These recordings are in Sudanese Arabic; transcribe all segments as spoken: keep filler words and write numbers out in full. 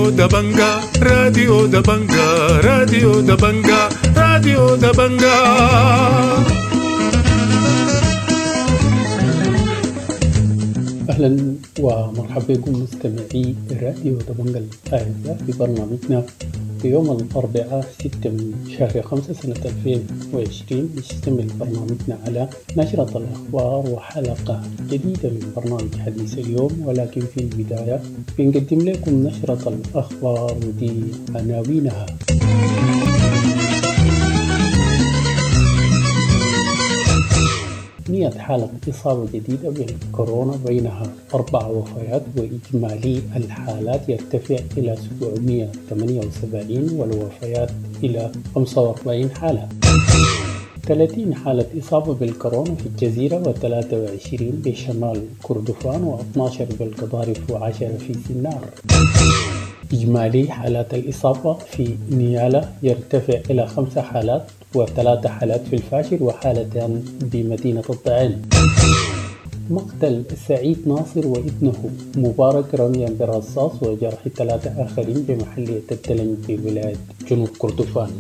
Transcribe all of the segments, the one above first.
راديو دبنجا، راديو دبنجا، راديو دبنجا، راديو دبنجا. أهلا ومرحبا بكم مستمعي راديو دبنجا الأعزاء في برنامجنا في يوم الأربعاء ستة من شهر خمسة سنة ألفين وعشرين. يشتمل برنامجنا على نشرة الأخبار وحلقة جديدة من برنامج حديث اليوم، ولكن في البداية بنقدم لكم نشرة الأخبار ودي عناوينها. مئة حالة إصابة جديدة بالكورونا بينها أربع وفيات، وإجمالي الحالات يرتفع إلى سبعمئة وثمانية وسبعين والوفيات إلى خمسة وأربعين حالة. ثلاثين حالة إصابة بالكورونا في الجزيرة وثلاثة وعشرين بشمال كردفان واثناشر بالقضارف وعشرة في سنار. إجمالي حالات الإصابة في نيالا يرتفع إلى خمس حالات وثلاث حالات في الفاشر وحالتان بمدينة الضعين. مقتل سعيد ناصر وابنه مبارك رميا بالرصاص وجرح ثلاثة آخرين بمحلية الدلنج بولاية جنوب كردفان.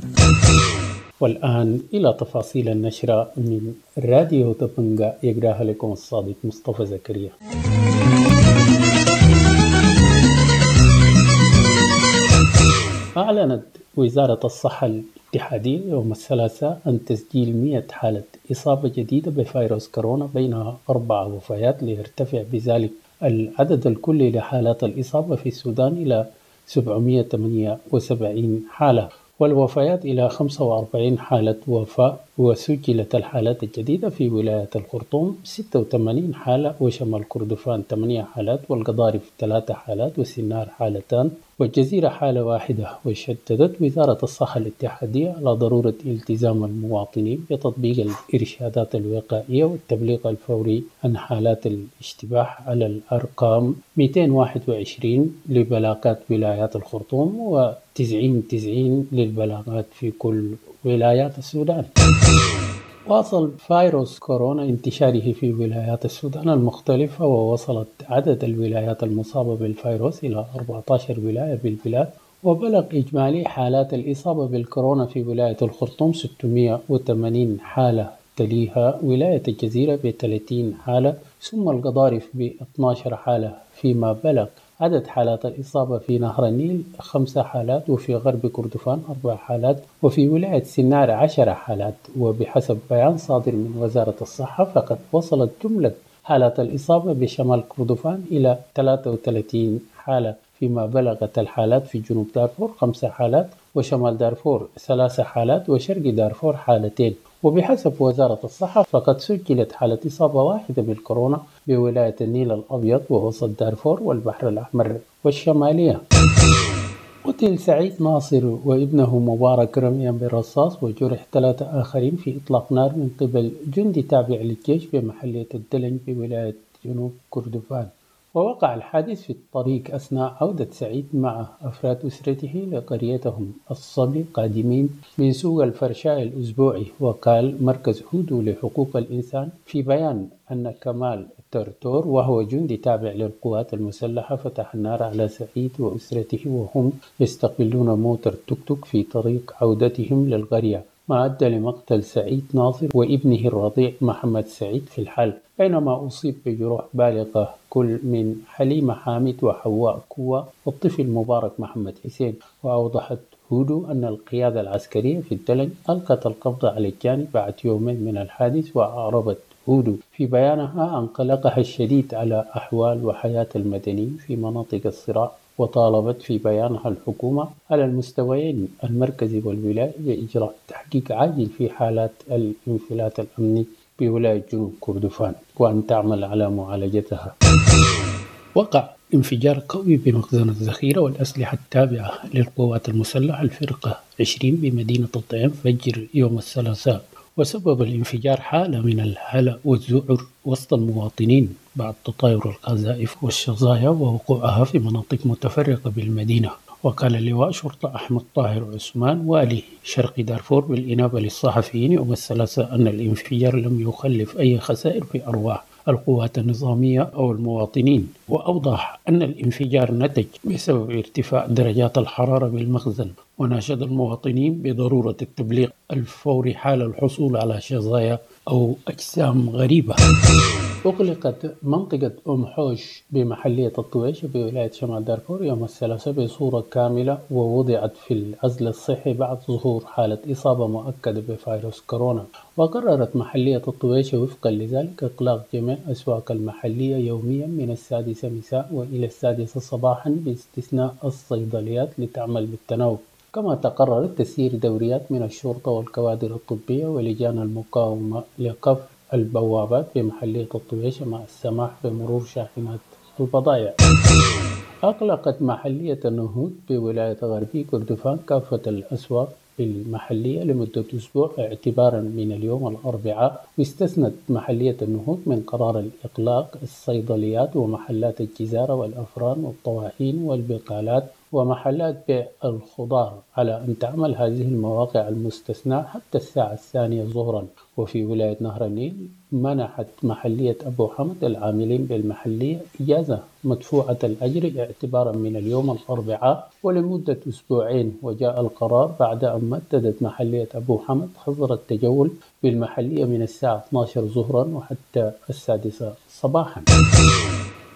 والآن إلى تفاصيل النشرة من راديو دبنجا يقراها لكم الصادق مصطفى زكريا. أعلنت وزارة الصحة الاتحادية يوم الثلاثاء عن تسجيل مئة حالة إصابة جديدة بفيروس كورونا بينها أربع وفيات، ليرتفع بذلك العدد الكلي لحالات الإصابة في السودان إلى سبعمئة وثمانية وسبعين حالة، والوفيات إلى خمسة وأربعين حالة وفاة. وسجلت الحالات الجديدة في ولاية الخرطوم ستة وثمانين حالة، وشمال كردفان ثمانية حالات، والقضارف ثلاثة حالات، وسنار حالتان، والجزيرة حالة واحدة. وشددت وزارة الصحة الاتحادية على ضرورة التزام المواطنين بتطبيق الإرشادات الوقائية والتبليغ الفوري عن حالات الاشتباه على الأرقام مئتين وواحد وعشرين لبلاغات ولايات الخرطوم وتسعين تسعين للبلاغات في كل ولايات السودان. واصل فيروس كورونا انتشاره في ولايات السودان المختلفة، ووصلت عدد الولايات المصابة بالفيروس إلى أربعة عشر ولاية بالبلاد، وبلغ إجمالي حالات الإصابة بالكورونا في ولاية الخرطوم ستمئة وثمانين حالة، تليها ولاية الجزيرة بثلاثين حالة، ثم القضارف ب اثني عشر حالة، فيما بلغ عدد حالات الإصابة في نهر النيل خمس حالات، وفي غرب كردفان أربع حالات، وفي ولاية سنار عشر حالات. وبحسب بيان صادر من وزارة الصحة فقد وصلت جملة حالات الإصابة بشمال كردفان إلى ثلاثة وثلاثين حالة، فيما بلغت الحالات في جنوب دارفور خمس حالات، وشمال دارفور ثلاث حالات، وشرق دارفور حالتين. وبحسب وزارة الصحة فقد سجلت حالة إصابة واحدة بالكورونا بولاية النيل الأبيض ووسط دارفور والبحر الأحمر والشمالية. قتل سعيد ناصر وابنه مبارك رميا بالرصاص وجرح ثلاثة آخرين في إطلاق نار من قبل جندي تابع للجيش بمحلية الدلنج بولاية جنوب كردفان. ووقع الحادث في الطريق أثناء عودة سعيد مع أفراد أسرته لقريتهم الصبي قادمين من سوق الفرشاء الأسبوعي. وقال مركز هودو لحقوق الإنسان في بيان أن كمال ترتور وهو جندي تابع للقوات المسلحة فتح النار على سعيد وأسرته وهم يستقبلون موتر توك توك في طريق عودتهم للقرية، ما أدى لمقتل سعيد ناصر وابنه الرضيع محمد سعيد في الحال، بينما أصيب بجروح بالغة كل من حليمة حامد وحواء كوة والطفل مبارك محمد حسين. وأوضحت هودو أن القيادة العسكرية في الدلنج ألقت القبض على الجانب بعد يومين من الحادث. وأعربت هودو في بيانها عن قلقها الشديد على أحوال وحياة المدنيين في مناطق الصراع، وطالبت في بيانها الحكومة على المستويين المركزي والولائي بإجراء تحقيق عاجل في حالات الانفلات الأمني بولاية جنوب كردفان وأن تعمل على معالجتها. وقع انفجار قوي بمخزن الذخيرة والأسلحة التابعة للقوات المسلحة الفرقة عشرين بمدينة الضعين فجر يوم الثلاثاء، وسبب الانفجار حالة من الهلع والذعر وسط المواطنين بعد تطاير القذائف والشظايا ووقوعها في مناطق متفرقة بالمدينة. وقال اللواء شرطة أحمد طاهر عثمان والي شرق دارفور بالإنابة للصحفيين يوم الثلاثاء أن الانفجار لم يخلف أي خسائر في أرواح القوات النظامية أو المواطنين. وأوضح أن الانفجار نتج بسبب ارتفاع درجات الحرارة بالمخزن، وناشد المواطنين بضرورة التبليغ الفوري حال الحصول على شظايا أو أجسام غريبة. أغلقت منطقة أم حوش بمحلية الطويش بولاية شمال دارفور يوم الثلاثاء بصورة كاملة، ووضعت في العزل الصحي بعد ظهور حالة إصابة مؤكدة بفيروس كورونا. وقررت محلية الطويش وفقا لذلك إغلاق جميع أسواق المحلية يوميا من السادسة مساء وإلى السادسة صباحا باستثناء الصيدليات لتعمل بالتناوب. كما تقرر تسيير دوريات من الشرطة والكوادر الطبية ولجان المقاومة لقفل البوابات بمحلية الطويشة مع السماح بمرور شاحنات البضائع. أغلقت محلية النهوض بولاية غربي كردفان كافة الأسواق المحلية لمدة أسبوع اعتبارا من اليوم الأربعاء، واستثنت محلية النهوض من قرار الإغلاق الصيدليات ومحلات الجزارة والأفران والطواحين والبقالات ومحلات بيع الخضار، على أن تعمل هذه المواقع المستثناة حتى الساعة الثانية ظهرا. وفي ولاية نهر النيل منحت محلية أبو حمد العاملين بالمحلية إجازة مدفوعة الأجر اعتبارا من اليوم الأربعاء ولمدة أسبوعين، وجاء القرار بعد أن مددت محلية أبو حمد حظر التجول بالمحلية من الساعة اثني عشر ظهرا وحتى السادسة صباحا.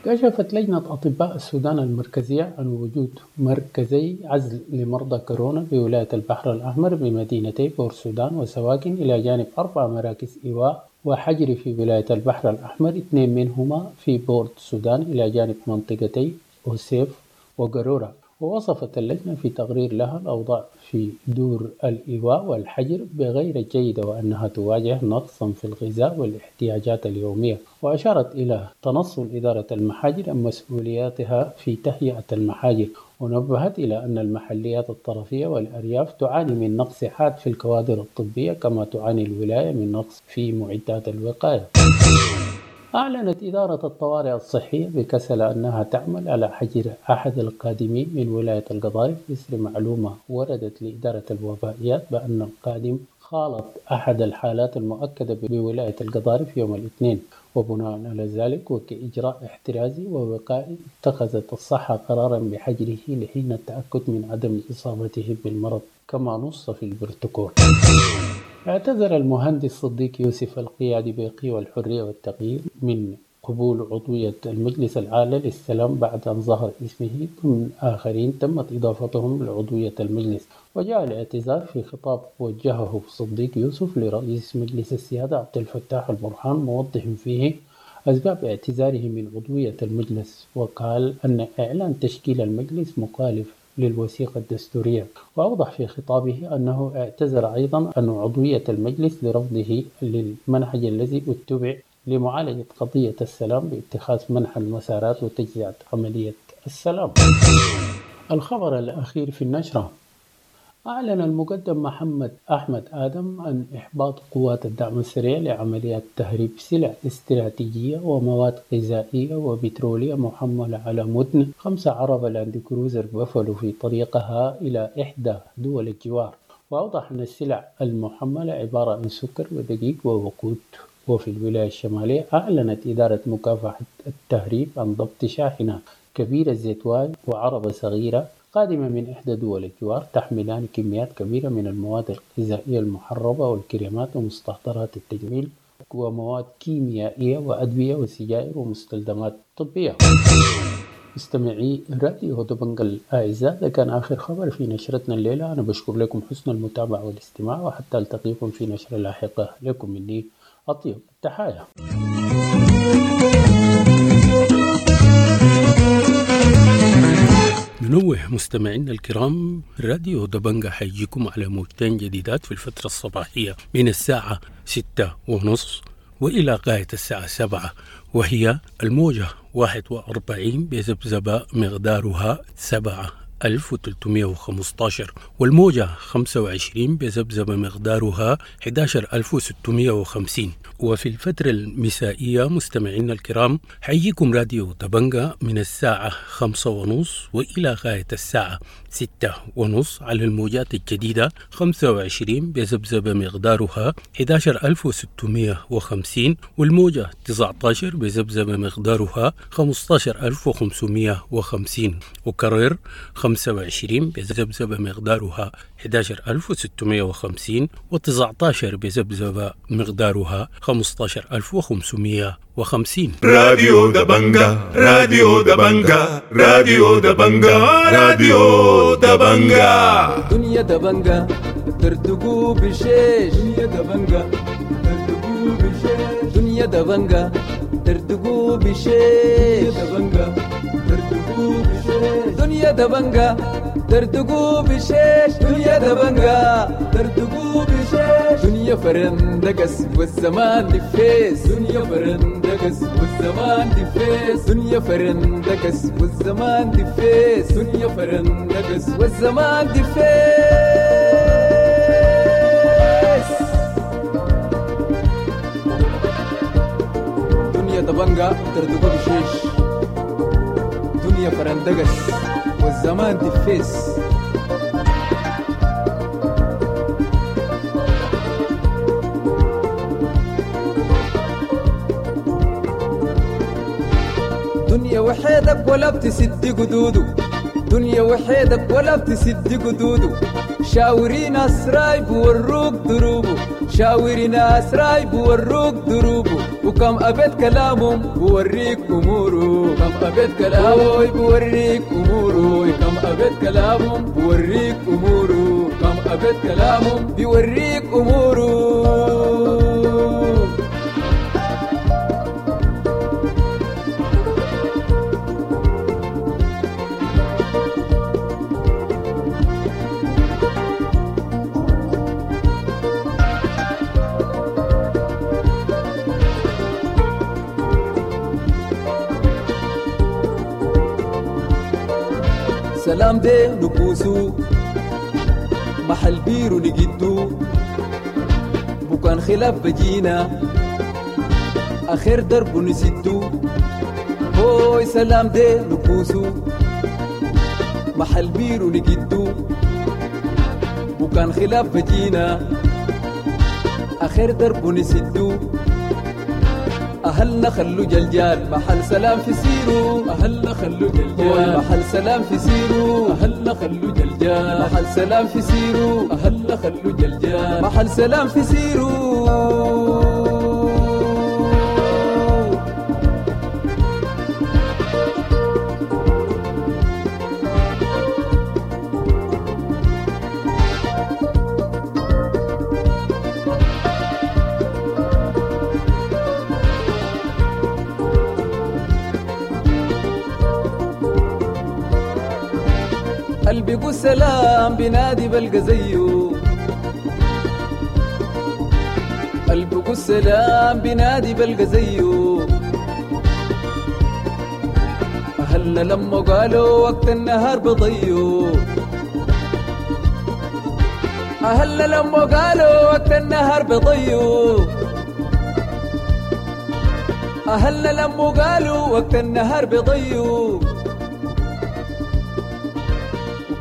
كشفت لجنة أطباء السودان المركزية عن وجود مركزي عزل لمرضى كورونا بولاية البحر الأحمر بمدينتي بورسودان وسواكن، إلى جانب أربع مراكز إيواء وحجر في ولاية البحر الأحمر، اثنين منهما في بورت السودان إلى جانب منطقتي أوسيف وقرورة. ووصفت اللجنة في تقرير لها الأوضاع في دور الإيواء والحجر بغير الجيدة، وأنها تواجه نقصا في الغذاء والاحتياجات اليومية. وأشارت إلى تنصل إدارة المحاجر عن مسؤولياتها في تهيئة المحاجر، ونبهت إلى أن المحليات الطرفية والأرياف تعاني من نقص حاد في الكوادر الطبية، كما تعاني الولاية من نقص في معدات الوقاية. أعلنت إدارة الطوارئ الصحية بكسل أنها تعمل على حجر أحد القادمين من ولاية القضارف إثر معلومة وردت لإدارة الوبائيات بأن القادم خالط أحد الحالات المؤكدة بولاية القضارف يوم الاثنين. وبناء على ذلك وكإجراء احترازي ووقائي اتخذت الصحة قرارا بحجره لحين التأكد من عدم إصابته بالمرض كما نص في البروتوكول. اعتذر المهندس صديق يوسف القيادي بقوى الحرية والتغيير من قبول عضوية المجلس الأعلى للسلام بعد أن ظهر اسمه ضمن آخرين تمت إضافتهم لعضوية المجلس. وجاء الاعتذار في خطاب وجهه صديق يوسف لرئيس مجلس السيادة عبد الفتاح البرهان، موضح فيه أسباب اعتذاره من عضوية المجلس، وقال أن إعلان تشكيل المجلس مخالف للوثيقة الدستورية. وأوضح في خطابه أنه اعتذر أيضا عن عضوية المجلس لرفضه للمنهج الذي اتبع لمعالجة قضية السلام باتخاذ منح المسارات وتجزئة عملية السلام. الخبر الأخير في النشرة: أعلن المقدم محمد أحمد آدم عن إحباط قوات الدعم السريع لعمليات تهريب سلع استراتيجية ومواد غذائية وبترولية محملة على متن خمسة عربة لاند كروزر بافلو في طريقها إلى إحدى دول الجوار. وأوضح أن السلع المحملة عبارة عن سكر ودقيق ووقود. وفي الولاية الشمالية أعلنت إدارة مكافحة التهريب عن ضبط شاحنة كبيرة زيتواي وعربة صغيرة قادمة من إحدى دول الجوار تحملان كميات كبيرة من المواد الغذائية المحربة والكريمات ومستحضرات التجميل ومواد كيميائية وأدوية وسجائر ومستلزمات طبية. مستمعي راديو دبنجا الأعزاء، ده كان آخر خبر في نشرتنا الليلة. أنا بشكر لكم حسن المتابعة والاستماع، وحتى ألتقيكم في نشرة لاحقة. لكم مني أطيب التحايا. ننوه مستمعينا الكرام، راديو دبنجا حيجيكم على موجتين جديدات في الفترة الصباحية من الساعة ستة ونص وإلى غاية الساعة سبعة، وهي الموجة واحد وأربعين بذبذبة مقدارها سبعة ألف وتلتمية وخمستاشر، والموجة خمسة وعشرين بذبذبة مقدارها حداشر ألف وستمية وخمسين. وفي الفترة المسائية مستمعينا الكرام حيجيكم راديو دبنجا من الساعة خمسة ونص وإلى غاية الساعة ستة ونص على الموجات الجديدة خمسة وعشرين بذبذبة مقدارها حداشر ألف وستمية وخمسين، والموجة تسعتاشر بذبذبة مقدارها خمستاشر ألف وخمسمية وخمسين، وكرر خمسة وعشرين بذبذبة مقدارها حداشر ألف وستمية وخمسين، وتسعتاشر بذبذبة مقدارها خمستاشر ألف وخمسمية وخمسين. راديو دبنجا، راديو دبنجا، راديو دبنجا، راديو دبنجا. دنيا دبنجا ترتقو بشيش، دنيا دبنجا ترتقو بشيش، دنيا دبنجا ترتقو بشيش، دبنجا ترتقو بشيش، دنيا دبنجا ترتقو بشيش، دنيا دبنجا ترتقو بشيش، دنيا فرندقس والزمان دفيس، دنيا فرندقس والزمان دفيس، دنيا فرندقس والزمان دفيس، دنيا فرندقس والزمان دفيس. دنيا دبنجا ترتقو بشيش، دنيا فرندقس والزمان دفيس. دنيا وحيدك ولا بتسد قدوده، دنيا وحيدك ولا بتسد قدوده، شاوري ناس رايب وروك دروبه، شاوري ناس رايب وروك دروبه، وكم أبيت كلامهم بوريك أموره، كم أبيت كلامه بوريك أموره، كم أبيت كلامهم بوريك أموره، كم أبيت كلامهم بيوريك أموره. سلام دي نكوسو محل بيرو نجدو، بكان خلاف بجينا آخر درب نسدو، هوي سلام دي نكوسو محل بيرو نجدو، بكان خلاف بجينا آخر درب نسدو، أهلنا خلو جلجال محل سلام في سيرو، أهلنا خلو جلجال محل سلام في سيرو، أهلنا خلو جلجال محل سلام في سيرو، أهلنا خلو جلجال محل سلام في سيرو. قلبي سلام بنادي بلقى زيه، قلبي سلام بنادي بلقى زيه، أهلنا لما قالوا وقت النهار بضيو، أهلنا لما قالوا وقت النهار بضيو، أهلنا لما قالوا وقت النهار بضيو،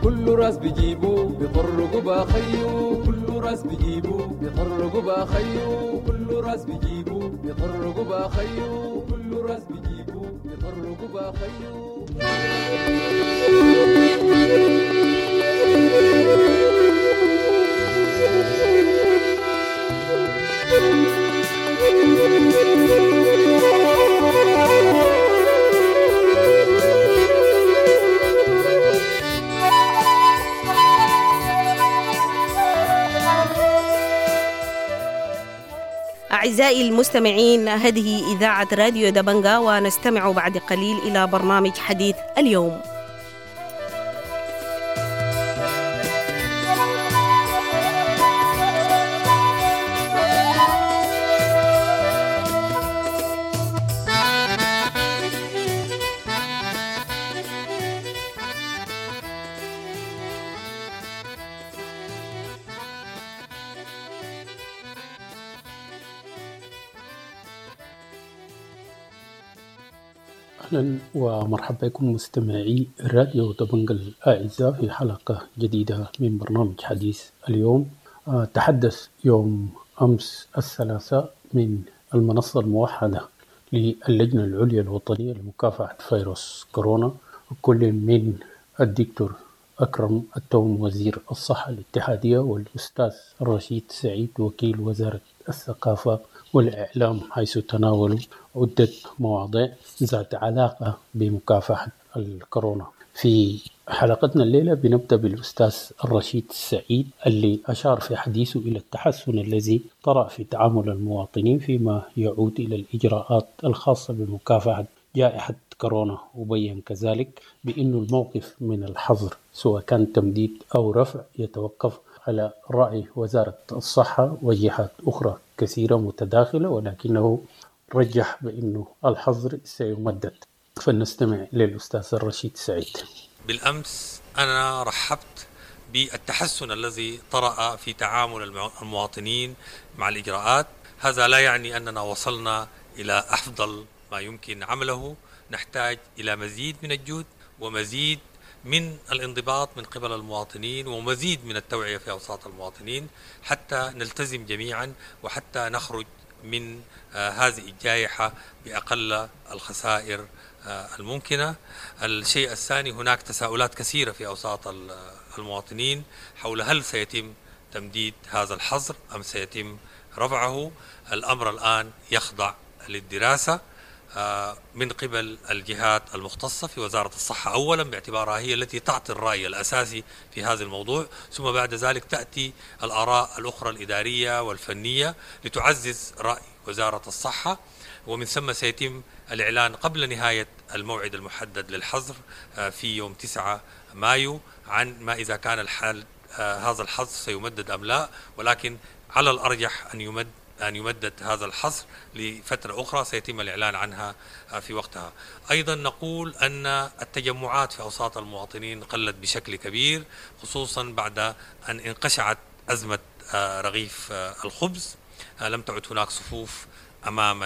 كل راس بيجيبو بيطرقوا باخيو، كل راس بيجيبو بيطرقوا باخيو، كل راس بيجيبو بيطرقوا باخيو، كل راس بيجيبو بيطرقوا باخيو. أعزائي المستمعين، هذه إذاعة راديو دبنجا، ونستمع بعد قليل إلى برنامج حديث اليوم. أهلا ومرحبا بكم مستمعي راديو دبنجا الأعزاء في حلقة جديدة من برنامج حديث اليوم. تحدث يوم أمس الثلاثاء من المنصة الموحدة للجنة العليا الوطنية لمكافحة فيروس كورونا كل من الدكتور أكرم التوم وزير الصحة الاتحادية والأستاذ رشيد سعيد وكيل وزارة الثقافة والإعلام، حيث تناولوا عدة مواضيع ذات علاقة بمكافحة الكورونا. في حلقتنا الليلة بنبدأ بالأستاذ الرشيد سعيد اللي أشار في حديثه إلى التحسن الذي طرأ في تعامل المواطنين فيما يعود إلى الإجراءات الخاصة بمكافحة جائحة كورونا، وبين كذلك بأن الموقف من الحظر سواء كان تمديد أو رفع يتوقف على رأي وزارة الصحة وجهات أخرى كثيرة متداخلة، ولكنه رجح بأنه الحظر سيمدد. فلنستمع للأستاذ الرشيد سعيد. بالأمس أنا رحبت بالتحسن الذي طرأ في تعامل المواطنين مع الإجراءات. هذا لا يعني أننا وصلنا إلى أفضل ما يمكن عمله، نحتاج إلى مزيد من الجهد ومزيد من الانضباط من قبل المواطنين ومزيد من التوعية في أوساط المواطنين حتى نلتزم جميعا وحتى نخرج من هذه الجائحة بأقل الخسائر الممكنة. الشيء الثاني، هناك تساؤلات كثيرة في أوساط المواطنين حول هل سيتم تمديد هذا الحظر أم سيتم رفعه. الأمر الآن يخضع للدراسة من قبل الجهات المختصة في وزارة الصحة أولا باعتبارها هي التي تعطي الرأي الأساسي في هذا الموضوع، ثم بعد ذلك تأتي الآراء الأخرى الإدارية والفنية لتعزز رأي وزارة الصحة، ومن ثم سيتم الإعلان قبل نهاية الموعد المحدد للحظر في يوم تسعة مايو عن ما إذا كان الحال هذا الحظر سيمدد أم لا، ولكن على الأرجح أن يمد أن يمدد هذا الحصر لفترة أخرى سيتم الإعلان عنها في وقتها. أيضا نقول أن التجمعات في أوساط المواطنين قلت بشكل كبير، خصوصا بعد أن انقشعت أزمة رغيف الخبز، لم تعد هناك صفوف أمام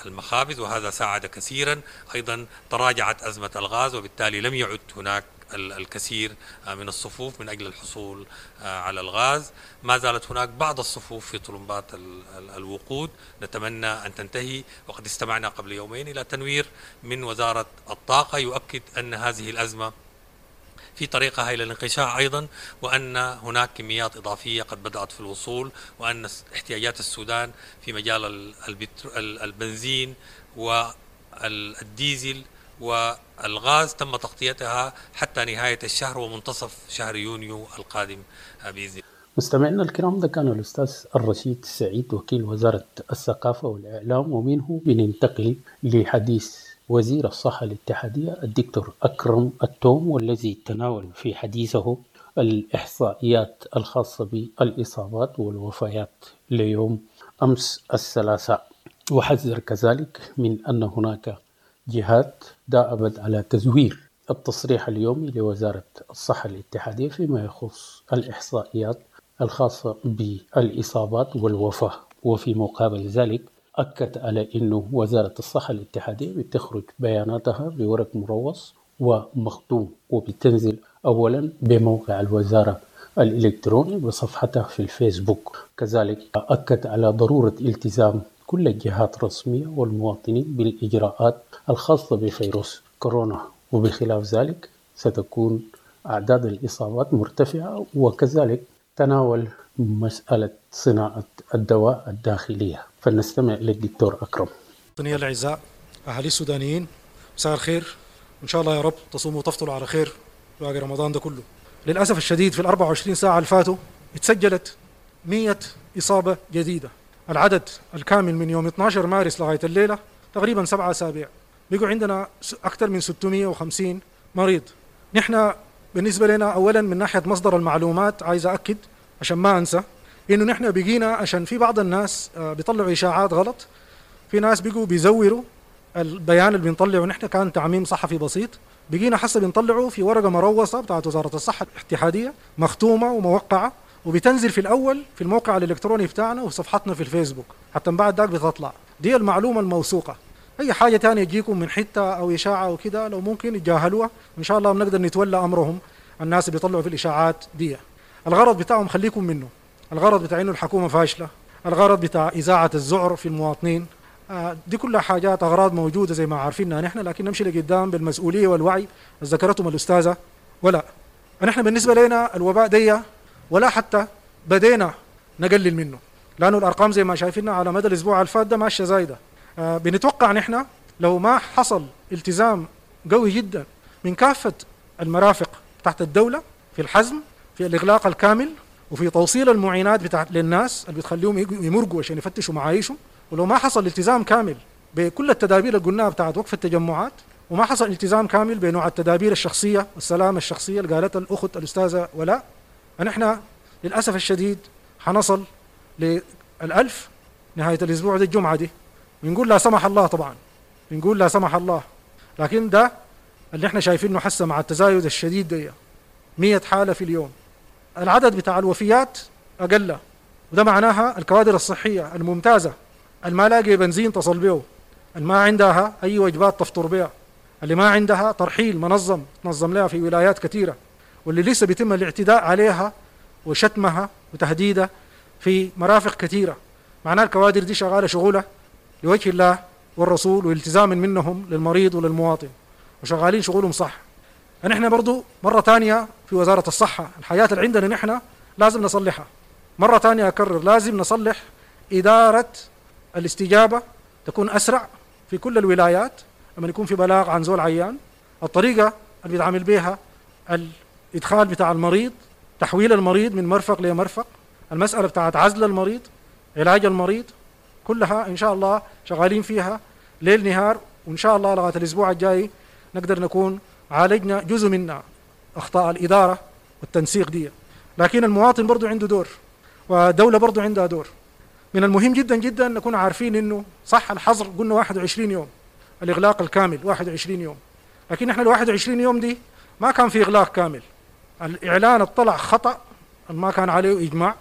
المخابز وهذا ساعد كثيرا. أيضا تراجعت أزمة الغاز وبالتالي لم يعد هناك الكثير من الصفوف من أجل الحصول على الغاز. ما زالت هناك بعض الصفوف في طلمبات الوقود، نتمنى أن تنتهي. وقد استمعنا قبل يومين إلى تنوير من وزارة الطاقة يؤكد أن هذه الأزمة في طريقها إلى الانقشاع أيضا، وأن هناك كميات إضافية قد بدأت في الوصول، وأن احتياجات السودان في مجال البنزين والديزل والغاز تم تغطيتها حتى نهاية الشهر ومنتصف شهر يونيو القادم بإذن الله. مستمعينا الكرام، ده كان الأستاذ الرشيد سعيد وكيل وزارة الثقافة والإعلام، ومنه بننتقل لحديث وزير الصحة الاتحادية الدكتور أكرم التوم، والذي تناول في حديثه الإحصائيات الخاصة بالإصابات والوفيات ليوم أمس الثلاثاء، وحذر كذلك من أن هناك جهات دأبت على تزوير التصريح اليومي لوزارة الصحة الاتحادية فيما يخص الإحصائيات الخاصة بالإصابات والوفاة. وفي مقابل ذلك أكد على أنه وزارة الصحة الاتحادية بتخرج بياناتها بورق مروص ومختوم، وبتنزل أولا بموقع الوزارة الإلكتروني وصفحتها في الفيسبوك. كذلك أكد على ضرورة التزام كل الجهات الرسمية والمواطنين بالإجراءات الخاصة بفيروس كورونا، وبخلاف ذلك ستكون أعداد الإصابات مرتفعة. وكذلك تناول مسألة صناعة الدواء الداخلية. فلنستمع للدكتور أكرم. مواطني الأعزاء، أهالي السودانيين، مساء الخير. إن شاء الله يا رب تصوموا وتفطروا على خير باقي رمضان ده كله. للأسف الشديد في الأربع وعشرين ساعة اللي فاتوا اتسجلت مئة إصابة جديدة. العدد الكامل من يوم اثني عشر مارس لغاية الليلة تقريبا سبعة أسابيع، بقوا عندنا أكثر من ستمئة وخمسين مريض. نحن بالنسبة لنا أولا من ناحية مصدر المعلومات عايز أكد عشان ما أنسى إنه نحن بقينا، عشان في بعض الناس بيطلعوا إشاعات غلط، في ناس بقوا بيزوروا البيان اللي بنطلعه نحن، كان تعميم صحفي بسيط، بقينا حسب بنطلعه في ورقة مروصة بتاعت وزارة الصحة الاتحادية مختومة وموقعة، وبتنزل في الأول في الموقع الإلكتروني بتاعنا وفي صفحتنا في الفيسبوك، حتى بعد ذاك بتطلع دي المعلومة الموثوقة. اي حاجة ثانية تجيكم من حتة او اشاعة او كده لو ممكن يتجاهلوها، وان شاء الله بنقدر نتولى امرهم. الناس اللي بيطلعوا في الاشاعات دي الغرض بتاعهم خليكم منه، الغرض بتاع انه الحكومة فاشلة، الغرض بتاع اذاعة الذعر في المواطنين، دي كلها حاجات اغراض موجودة زي ما عارفينها نحن، لكن نمشي لقدام بالمسؤولية والوعي ذكرتهم الاستاذة ولا. نحن بالنسبة لنا الوباء دي ولا حتى بدينا نقلل منه، لانه الارقام زي ما شايفينها على مدى الاسبوع الفات ده ماشية زايدة. بنتوقع نحن لو ما حصل التزام قوي جدا من كافة المرافق تحت الدولة في الحزم، في الاغلاق الكامل، وفي توصيل المعينات بتاعت للناس اللي بتخليهم يمرقوا عشان يفتشوا معايشهم، ولو ما حصل التزام كامل بكل التدابير اللي قلناها بتاعت وقف التجمعات، وما حصل التزام كامل بنوع التدابير الشخصية والسلامة الشخصية اللي قالتها الاخت الاستاذة ولاء، نحن للاسف الشديد حنصل للألف نهاية الاسبوع ده الجمعة دي. بنقول لا سمح الله، طبعا بنقول لا سمح الله، لكن ده اللي احنا شايفينه حسه مع التزايد الشديد ده مية حاله في اليوم. العدد بتاع الوفيات اقل، وده معناها الكوادر الصحية الممتازة اللي ما لاقي بنزين تصل به، اللي ما عندها اي وجبات تفطر بها، اللي ما عندها ترحيل منظم تنظم لها في ولايات كثيرة، واللي لسه بيتم الاعتداء عليها وشتمها وتهديدها في مرافق كثيرة. معناها الكوادر دي شغالة شغله لوجه الله والرسول والتزام منهم للمريض وللمواطن، وشغالين شغلهم صح. نحن برضو مرة ثانية في وزارة الصحة الحياة اللي عندنا نحن لازم نصلحها. مرة ثانية أكرر، لازم نصلح إدارة الاستجابة تكون أسرع في كل الولايات لما يكون في بلاغ عن زول عيان، الطريقة اللي بيتعامل بها الإدخال بتاع المريض، تحويل المريض من مرفق لمرفق، المسألة بتاعت عزل المريض، علاج المريض، كلها إن شاء الله شغالين فيها ليل نهار، وإن شاء الله لغاية الأسبوع الجاي نقدر نكون عالجنا جزء منا أخطاء الإدارة والتنسيق دي. لكن المواطن برضو عنده دور، والدولة برضو عندها دور. من المهم جدا جدا نكون عارفين إنه صح الحظر قلنا واحد وعشرين يوم، الإغلاق الكامل واحد وعشرين يوم، لكن إحنا ال واحد وعشرين يوم دي ما كان في إغلاق كامل. الإعلان اطلع خطأ ما كان عليه إجماع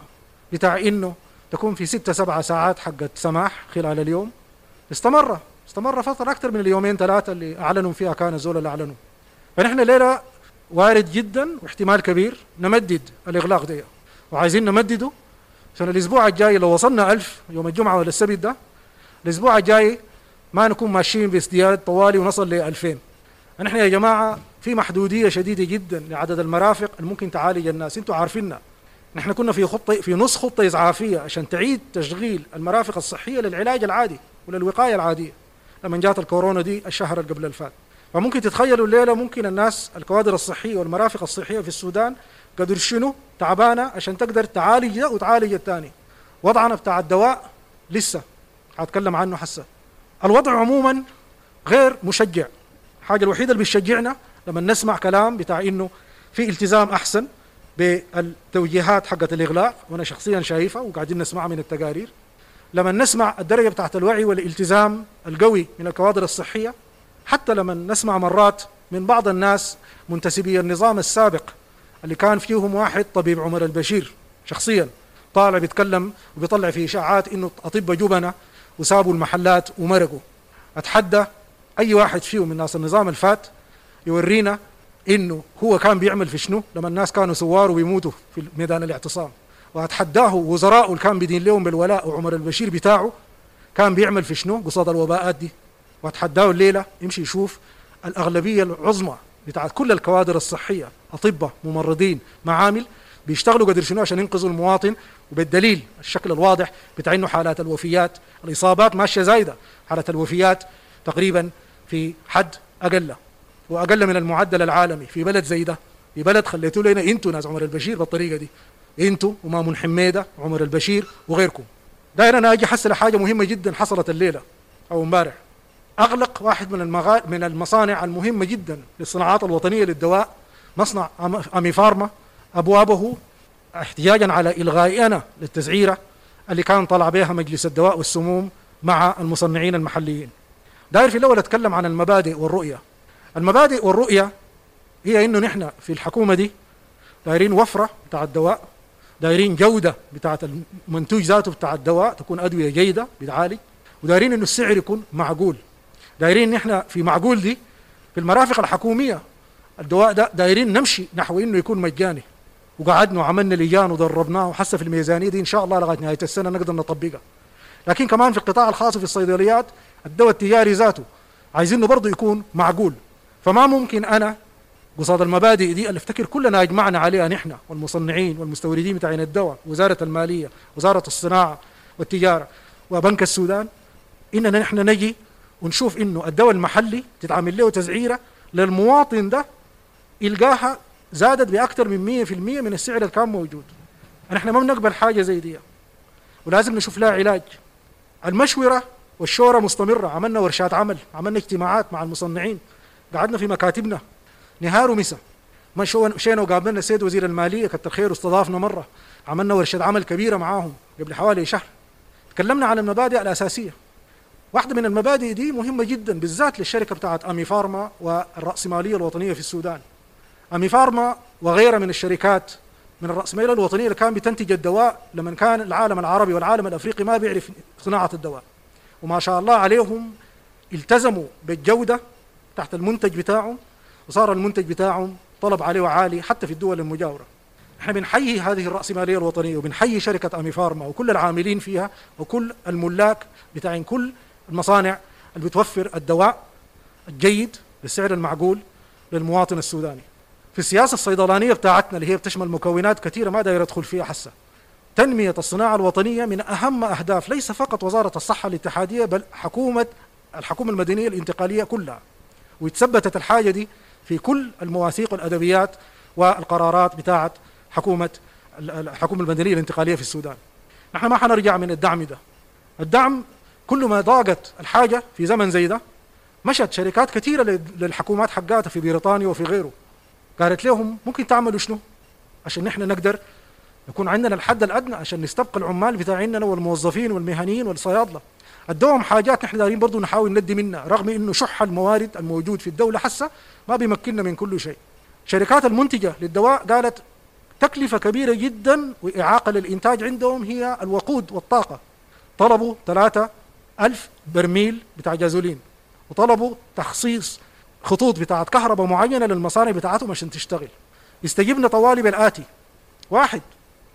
بتاع إنه تكون في ستة سبعة ساعات حقت سماح خلال اليوم. استمر استمر فترة أكثر من اليومين ثلاثة اللي أعلنوا فيها كان الزول اللي أعلنوا. فنحن ليلة وارد جدا واحتمال كبير نمدد الإغلاق ده، وعايزين نمدده عشان الأسبوع الجاي لو وصلنا ألف يوم الجمعة ولا السبت ده، الأسبوع الجاي ما نكون ماشيين بازدياد طوالي ونصل ل ألفين. نحن يا جماعة في محدودية شديدة جدا لعدد المرافق اللي ممكن تعالج الناس، انتم عارفيننا. نحن كنا في خطة، في نص خطة إسعافية عشان تعيد تشغيل المرافق الصحية للعلاج العادي وللوقاية العادية لما جات الكورونا دي الشهر اللي قبل الفات. فممكن تتخيلوا الليلة ممكن الناس الكوادر الصحية والمرافق الصحية في السودان قدر شنو تعبانة عشان تقدر تعالج ده وتعالج الثاني. وضعنا بتاع الدواء لسه هتكلم عنه حسه. الوضع عموما غير مشجع. الحاجة الوحيدة اللي بتشجعنا لما نسمع كلام بتاع إنه في التزام أحسن بالتوجيهات حقت الإغلاق، وأنا شخصيا شايفها وقاعدين نسمعها من التقارير. لما نسمع الدرجة بتاعت الوعي والالتزام القوي من الكوادر الصحية، حتى لما نسمع مرات من بعض الناس منتسبي النظام السابق اللي كان فيهم واحد طبيب عمر البشير شخصيا طالع بيتكلم وبيطلع في إشاعات إنه أطباء جبنة وسابوا المحلات ومرقوا. أتحدى أي واحد فيهم من ناس النظام الفات يورينا إنه هو كان بيعمل في شنو لما الناس كانوا سوار وبيموتوا في ميدان الاعتصام. وأتحداه وزراءه اللي كان بيدين لهم بالولاء وعمر البشير بتاعه كان بيعمل في شنو قصاد الوباءات دي. وأتحداه الليلة يمشي يشوف الأغلبية العظمى بتاعت كل الكوادر الصحية، أطباء، ممرضين، معامل، بيشتغلوا قدر شنو عشان ينقذوا المواطن. وبالدليل الشكل الواضح بتاع إنه حالات الوفيات، الإصابات ماشية زايدة، حالات الوفيات تقريبا في حد أقل وأقل من المعدل العالمي في بلد زي ده، في بلد خليتوا لنا انتوا ناس عمر البشير بالطريقة دي، انتوا ومامون حميدة وعمر البشير وغيركم. داير أنا أجي أحصل حاجة مهمة جدا حصلت الليلة أو امبارح. أغلق واحد من المغا... من المصانع المهمة جدا للصناعات الوطنية للدواء، مصنع أمي فارما، أبوابه احتجاجا على إلغائنا للتسعيرة اللي كان طلع بها مجلس الدواء والسموم مع المصنعين المحليين. داير في الأول أتكلم عن المبادئ والرؤية. المبادئ والرؤية هي إنه نحن في الحكومة دي دايرين وفرة بتاع الدواء، دايرين جودة بتاعة المنتوج ذاته بتاع الدواء تكون أدوية جيدة بتعالج، ودايرين إنه السعر يكون معقول. دايرين نحن في معقول دي في المرافق الحكومية الدواء ده دايرين نمشي نحو انه يكون مجاني، وقعدنا وعملنا لجان ودربناه، وحسه في الميزانية دي ان شاء الله لغاية نهاية السنة نقدر نطبقها. لكن كمان في القطاع الخاص في الصيدليات الدواء التجاري ذاته عايزينه برضه يكون معقول. فما ممكن انا قصاد المبادئ دي اللي افتكر كلنا اجمعنا عليها نحن والمصنعين والمستوردين بتاعين الدواء، وزارة المالية، وزارة الصناعة والتجارة، وبنك السودان، اننا نحن نجي ونشوف انه الدواء المحلي تتعمل له تسعيره للمواطن ده يلقاها زادت باكثر من مية في المية من السعر اللي كان موجود. نحن ما بنقبل حاجة زي دي، ولازم نشوف لها علاج. المشورة والشوره مستمرة، عملنا ورشات عمل، عملنا اجتماعات مع المصنعين، قعدنا في مكاتبنا نهار ومساء، مشينا وقابلنا السيد وزير المالية كتر خيره استضافنا مرة، عملنا ورشه عمل كبيرة معاهم قبل حوالي شهر، تكلمنا عن المبادئ الاساسية. واحدة من المبادئ دي مهمة جدا بالذات للشركة بتاعت امي فارما والراسماليه الوطنية في السودان. امي فارما وغيرها من الشركات من الراسمالية الوطنية اللي كان بتنتج الدواء لما كان العالم العربي والعالم الافريقي ما بيعرف صناعة الدواء، وما شاء الله عليهم التزموا بالجودة تحت المنتج بتاعهم، وصار المنتج بتاعهم طلب عليه عالي حتى في الدول المجاورة. احنا بنحيي هذه الراسمالية الوطنية وبنحيي شركة امي فارما وكل العاملين فيها وكل الملاك بتاعين كل المصانع اللي بتوفر الدواء الجيد بالسعر المعقول للمواطن السوداني. في السياسة الصيدلانيه بتاعتنا اللي هي بتشمل مكونات كثيرة ما داير ادخل فيها حسه، تنمية الصناعة الوطنية من اهم اهداف ليس فقط وزارة الصحة الاتحادية بل حكومة الحكومة المدنية الانتقالية كلها، وتثبتت الحاجة دي في كل المواثيق والادبيات والقرارات بتاعت حكومة الحكومة المدنية الانتقالية في السودان. نحن ما حنرجع من الدعم ده. الدعم كل ما ضاقت الحاجة في زمن زي ده مشت شركات كثيرة للحكومات حقاتها في بريطانيا وفي غيره، قالت لهم ممكن تعملوا شنو عشان نحن نقدر يكون عندنا الحد الادنى عشان نستبقى العمال بتاعيننا والموظفين والمهنيين والصيادله. ادوهم حاجات نحن دارين برضه نحاول ندي منها، رغم انه شح الموارد الموجود في الدولة حسه ما بيمكننا من كل شيء. شركات المنتجة للدواء قالت تكلفة كبيرة جدا واعاقه للانتاج عندهم هي الوقود والطاقة. طلبوا ثلاثة ألف برميل بتاع جازولين، وطلبوا تخصيص خطوط بتاعت كهرباء معينة للمصانع بتاعتهم عشان تشتغل. استجبنا طوالي بالاتي: واحد،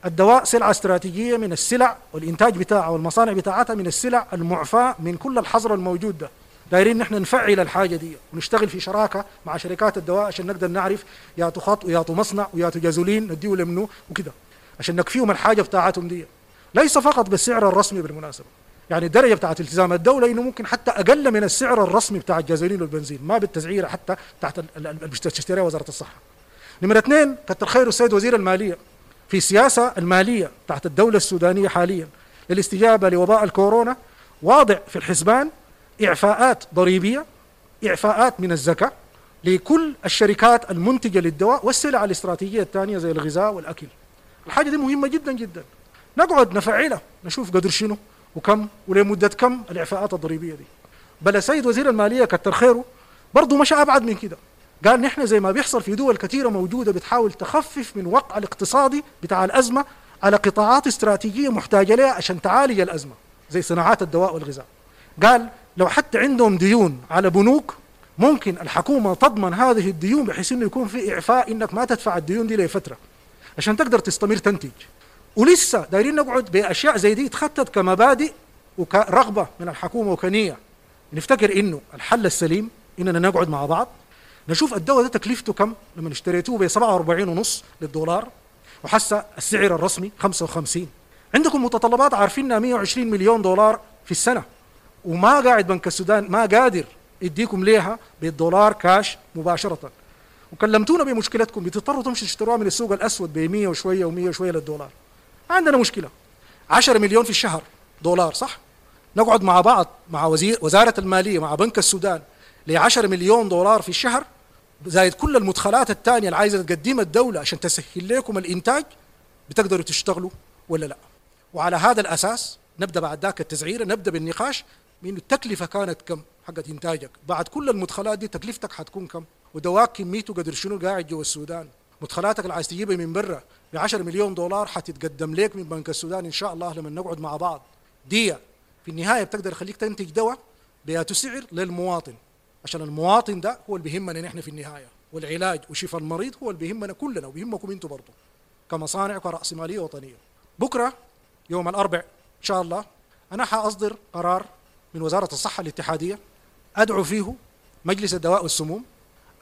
الدواء سلعة استراتيجية من السلع والإنتاج بتاعها والمصانع بتاعتها من السلع المعفاة من كل الحظر الموجود ده. دايرين نحن نفعل الحاجة دي ونشتغل في شراكة مع شركات الدواء عشان نقدر نعرف ياتو خط وياتو مصنع وياتو جازولين نديه لمنو وكده عشان نكفيهم الحاجة بتاعتهم دي. ليس فقط بالسعر الرسمي بالمناسبة، يعني الدرجة بتاعت التزام الدولة إنه ممكن حتى أقل من السعر الرسمي بتاع الجازولين والبنزين، ما بالتسعيرة حتى تحت اللي بتشتريها وزارة الصحة. نمرة اثنين، كتر خير السيد وزير المالية في السياسة المالية تحت الدولة السودانية حاليا للاستجابة لوباء الكورونا واضع في الحسبان إعفاءات ضريبية، إعفاءات من الزكاة لكل الشركات المنتجة للدواء والسلع الاستراتيجية الثانية زي الغذاء والأكل. الحاجة دي مهمة جدا جدا، نقعد نفعلها نشوف قدر شنو وكم ولمدة كم الإعفاءات الضريبية دي. بل السيد وزير المالية كتر خيره برضه مشى أبعد من كده، قال نحن زي ما بيحصل في دول كثيرة موجودة بتحاول تخفف من وقع الاقتصادي بتاع الأزمة على قطاعات استراتيجية محتاجة لها عشان تعالج الأزمة زي صناعات الدواء والغذاء. قال لو حتى عندهم ديون على بنوك ممكن الحكومة تضمن هذه الديون بحيث انه يكون في إعفاء انك ما تدفع الديون دي لفترة عشان تقدر تستمر تنتج. ولسه دايرين نقعد بأشياء زي دي تخطط كمبادئ وكرغبة من الحكومة وكنية. نفتكر انه الحل السليم اننا نقعد مع بعض نشوف الدواء ده تكلفته كم لما اشتريتوه ب سبعة وأربعين ونص للدولار وحسه السعر الرسمي خمسة وخمسين. عندكم متطلبات عارفينها مئة وعشرين مليون دولار في السنة، وما قاعد بنك السودان ما قادر يديكم ليها بالدولار كاش مباشرة، وكلمتونا بمشكلتكم بتضطروا تمشوا تشتروها من السوق الأسود ب مئة وشوية ومئة وشوية للدولار. عندنا مشكلة عشرة مليون في الشهر دولار، صح؟ نقعد مع بعض مع وزير وزارة المالية مع بنك السودان ل عشرة مليون دولار في الشهر زائد كل المدخلات الثانية اللي عايزة تقدمها الدولة عشان تسهل لكم الإنتاج، بتقدروا تشتغلوا ولا لا؟ وعلى هذا الأساس نبدأ بعد ذاك التسعيرة، نبدأ بالنقاش من التكلفة كانت كم حقت إنتاجك بعد كل المدخلات دي، تكلفتك حتكون كم، ودواك كميته قدر شنو قاعد جوا السودان، مدخلاتك اللي عايز تجيبها من برا ب عشرة مليون دولار حتتقدم لك من بنك السودان إن شاء الله لما نقعد مع بعض. دي في النهاية بتقدر تخليك تنتج دواء بياتو سعر للمواطن، عشان المواطن ده هو اللي بيهمنا نحن في النهاية، والعلاج وشفاء المريض هو اللي بيهمنا كلنا وبيهمكم انتم برضه كمصانع وكرأسمالية وطنية. بكرة يوم الأربع إن شاء الله أنا حأصدر قرار من وزارة الصحة الاتحادية أدعو فيه مجلس الدواء والسموم،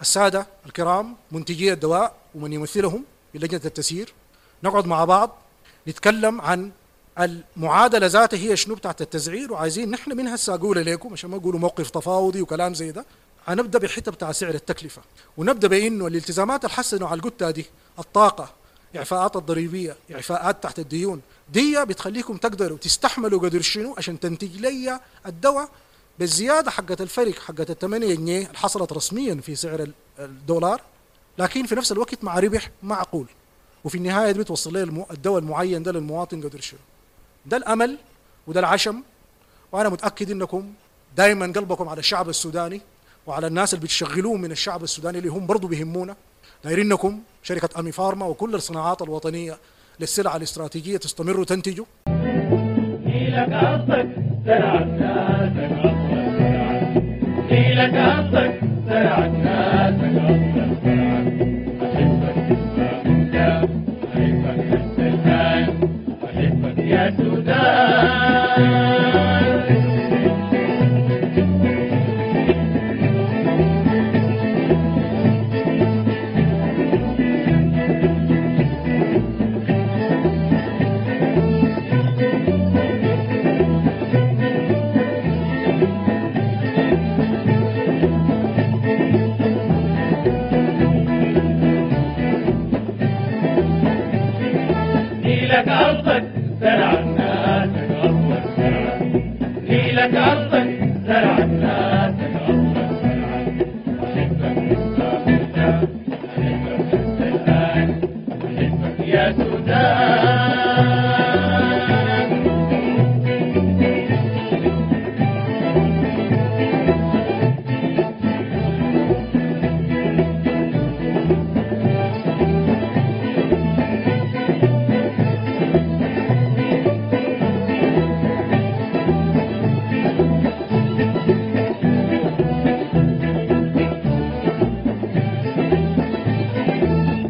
السادة الكرام منتجي الدواء ومن يمثلهم بلجنة التسيير، نقعد مع بعض نتكلم عن المعادلة ذاتها هي شنو بتاعت التسعير، وعايزين نحن من هسه أقول لكم عشان ما نقولوا موقف تفاوضي وكلام زي ده. هنبدا بحته بتاع سعر التكلفة، ونبدا بانه الالتزامات الحسنة على القتة دي، الطاقة، اعفاءات الضريبية، اعفاءات تحت الديون، دي بتخليكم تقدروا تستحملوا قدر شنو عشان تنتج لي الدواء بالزيادة حقت الفرق حقت الثمانية جنيه اللي حصلت رسميا في سعر الدولار، لكن في نفس الوقت مع ربح معقول، وفي النهاية دي بتوصل لي الدواء المعين ده للمواطن قدر شنو. ده الامل وده العشم، وانا متاكد انكم دائما قلبكم على الشعب السوداني وعلى الناس اللي بتشغلوه من الشعب السوداني اللي هم برضو بيهمونا. دايرينكم شركة أمي فارما وكل الصناعات الوطنية للسلع الاستراتيجية تستمروا تنتجوا. نيلك أرضك زرعت ناسك أصلا زرعت، نيلك أرضك زرعت ناسك أصلا زرعت، أحبك ما كنت، أحبك حتى الآن، أحبك يا سودان. نيلك أرضك زرعت ناسك أصلا زرعت، نيلك أرضك زرعت ناسك أصلا زرعت، أحبك ما كنت، أحبك حتى الآن، أحبك يا سودان.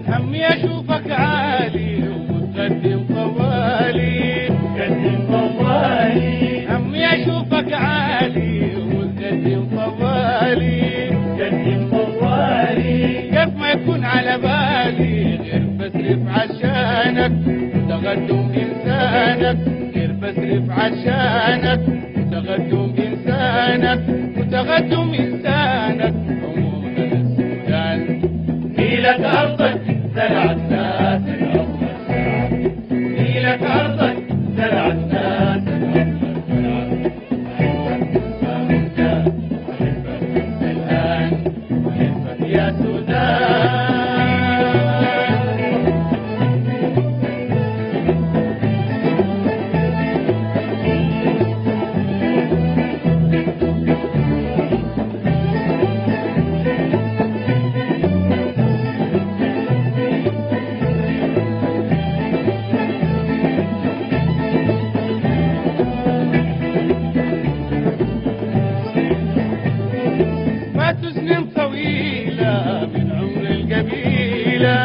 همي اشوفك عالي ومتقدم طوالي، متقدم طوالي، همي اشوفك عالي ومتقدم طوالي، متقدم طوالي، كيف ما يكون على بالي غير بصرف عشانك تقدم انسانك، غير بصرف عشانك تقدم انسانك، وتقدم انسانك عموما السودان. نيلك أرضك زرعت ناسك أصلا زرعت، نيلك أرضك زرعت ناسك أصلا زرعت، أحبك ما كنت، أحبك حتى الآن، أحبك يا سودان. فاتوا سنين طويلة من عمر القبيلة،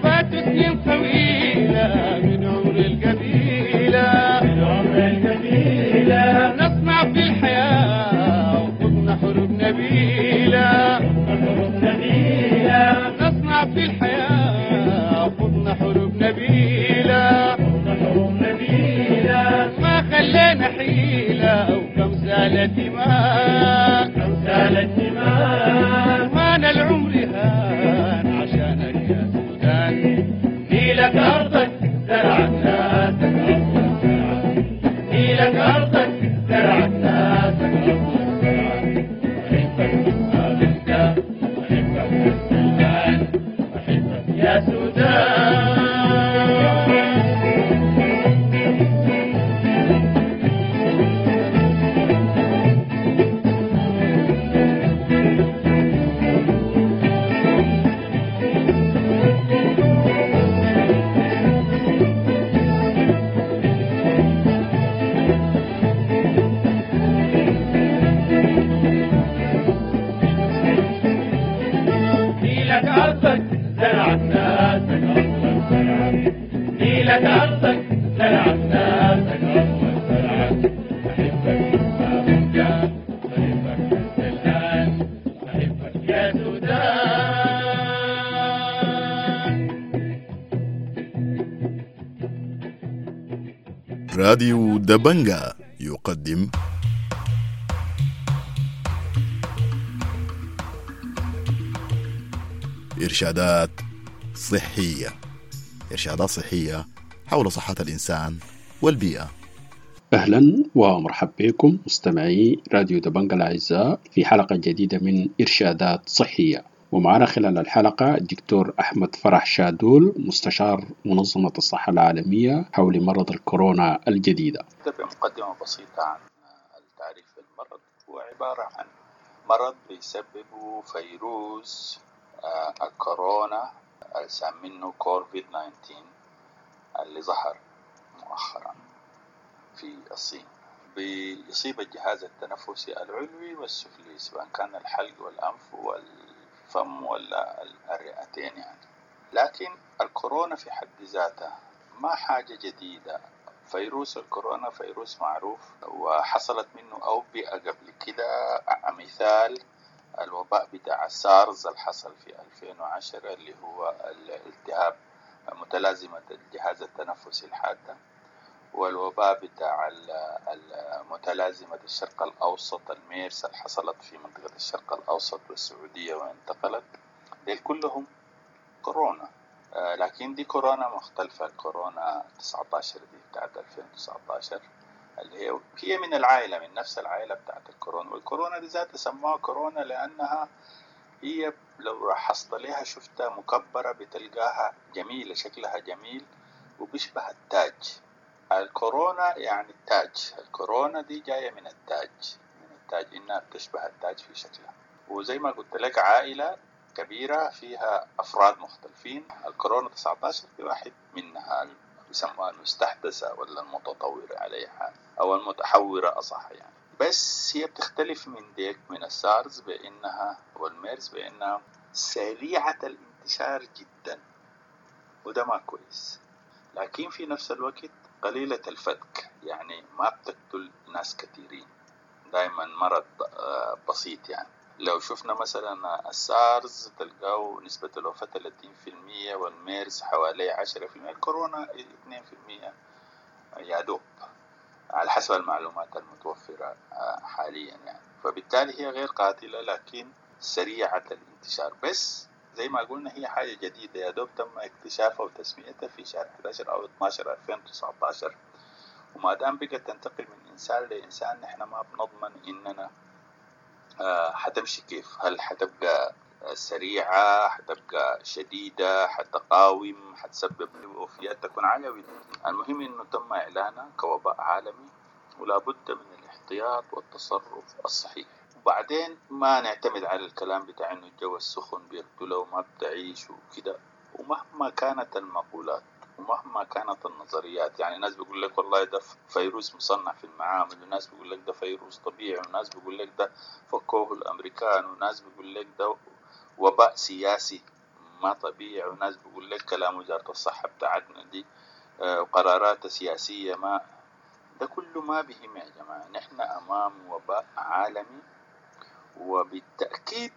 فاتوا سنين طويلة من عمر القبيلة، من عمر القبيلة، نصنع في الحياة وخضنا حروب نبيلة، حروب نبيلة، نصنع في الحياة وخضنا حروب نبيلة، حروب نبيلة، ما خلينا حيلة وكم سالت دماء، كم سالت دماء، ما العمر هان عشانك يا سودان. نيلك أرضك زرعت ناسك أصلا زرعت، نيلك أرضك زرعت ناسك أصلا زرعت، أحبك ما كنت، أحبك حتى الآن، أحبك يا سودان. راديو دبنجا يقدم إرشادات صحية. إرشادات صحية حول صحة الإنسان والبيئة. أهلا ومرحبا بكم مستمعي راديو دبنجا الأعزاء في حلقة جديدة من إرشادات صحية، ومعنا خلال الحلقة الدكتور أحمد فرح شادول مستشار منظمة الصحة العالمية حول مرض الكورونا الجديدة. بمقدمة بسيطة عن التعريف بالمرض، هو عبارة عن مرض بيسببه فيروس الكورونا اللي كوفيد تسعة عشر اللي ظهر مؤخرا في الصين. بيصيب الجهاز التنفسي العلوي والسفلي سواء كان الحلق والأنف والفم ولا الرئتين يعني. لكن الكورونا في حد ذاتها ما حاجة جديدة. فيروس الكورونا فيروس معروف وحصلت منه أوبئة قبل كده، مثال الوباء بتاع سارز اللي حصل في ألفين وعشرة اللي هو الالتهاب متلازمة الجهاز التنفسي الحادة، والوباء بتاع متلازمة الشرق الأوسط الميرس اللي حصلت في منطقة الشرق الأوسط والسعودية وانتقلت. ديل كلهم كورونا، لكن دي كورونا مختلفة. كورونا تسعة عشر دي بتاعت ألفين وتسعة عشر اللي هي هي من العائلة، من نفس العائلة بتاعت الكورونا. والكورونا دي ذاتها سموها كورونا لأنها هي لو لاحظت لها شفتها مكبرة بتلقاها جميلة، شكلها جميل وبيشبه التاج. الكورونا يعني التاج، الكورونا دي جاية من التاج، من التاج إنها بتشبه التاج في شكلها. وزي ما قلت لك عائلة كبيرة فيها أفراد مختلفين. الكورونا تسعة عشر في واحد منها بيسموها المستحدثة ولا المتطورة عليها أو المتحورة أصح يعني. بس هي بتختلف من ديك من السارز بأنها والميرز بأنها سريعة الانتشار جدا، وده ما كويس، لكن في نفس الوقت قليلة الفتك، يعني ما بتقتل ناس كثيرين، دائما مرض بسيط يعني. لو شفنا مثلا السارز تلقاه نسبة الوفاة ثلاثين في المية، والميرز حوالي عشرة في المية، الكورونا اثنين في المية يا دوب على حسب المعلومات المتوفرة حاليا يعني. فبالتالي هي غير قاتلة لكن سريعة الانتشار. بس زي ما قلنا هي حاجة جديدة، يا دوب تم اكتشافها وتسميتها في شهر أحد عشر أو اثنا عشر ألفين وتسعة عشر. وما دام بقت تنتقل من إنسان لإنسان نحن ما بنضمن إننا حتمشي كيف، هل حتبقى سريعة، حتبقى شديدة، حتقاوم، حتسبب وفيات تكون عالية. المهم إنه تم إعلانها كوباء عالمي ولا بد من الاحتياط والتصرف الصحيح. وبعدين ما نعتمد على الكلام بتاع إنه الجو السخن بيقتله وما بتعيش وكده، ومهما كانت المقولات ومهما كانت النظريات. يعني ناس بيقول لك والله ده فيروس مصنع في المعامل، وناس بيقول لك ده فيروس طبيعي، وناس بيقول لك ده فكوه الأمريكان، وناس بيقول لك ده وباء سياسي ما طبيعي، وناس بيقول لك كلام وزارة الصحة بتاعتنا دي وقرارات سياسية ما. ده كله ما بهم يا جماعة. نحن أمام وباء عالمي، وبالتأكيد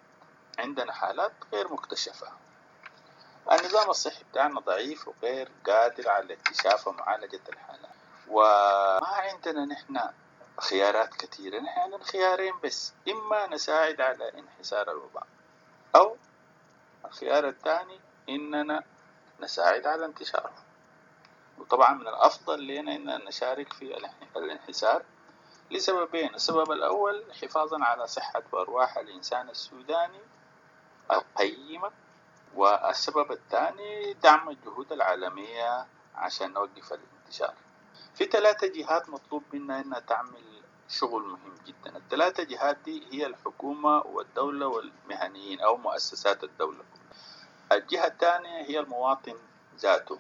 عندنا حالات غير مكتشفة. النظام الصحي بتاعنا ضعيف وغير قادر على اكتشاف ومعالجة الحالات، وما عندنا نحن خيارات كثيرة. نحن عندنا خيارين بس، إما نساعد على انحسار الوباء، أو الخيار الثاني إننا نساعد على انتشاره. وطبعا من الأفضل لنا إننا نشارك في الانحسار لسببين. السبب الأول حفاظا على صحة وأرواح الإنسان السوداني القيمة، والسبب الثاني دعم الجهود العالمية عشان نوقف الانتشار. في ثلاثة جهات مطلوب منا إنها تعمل شغل مهم جدا. الثلاثة جهات دي هي الحكومة والدولة والمهنيين أو مؤسسات الدولة. الجهة الثانية هي المواطن ذاته.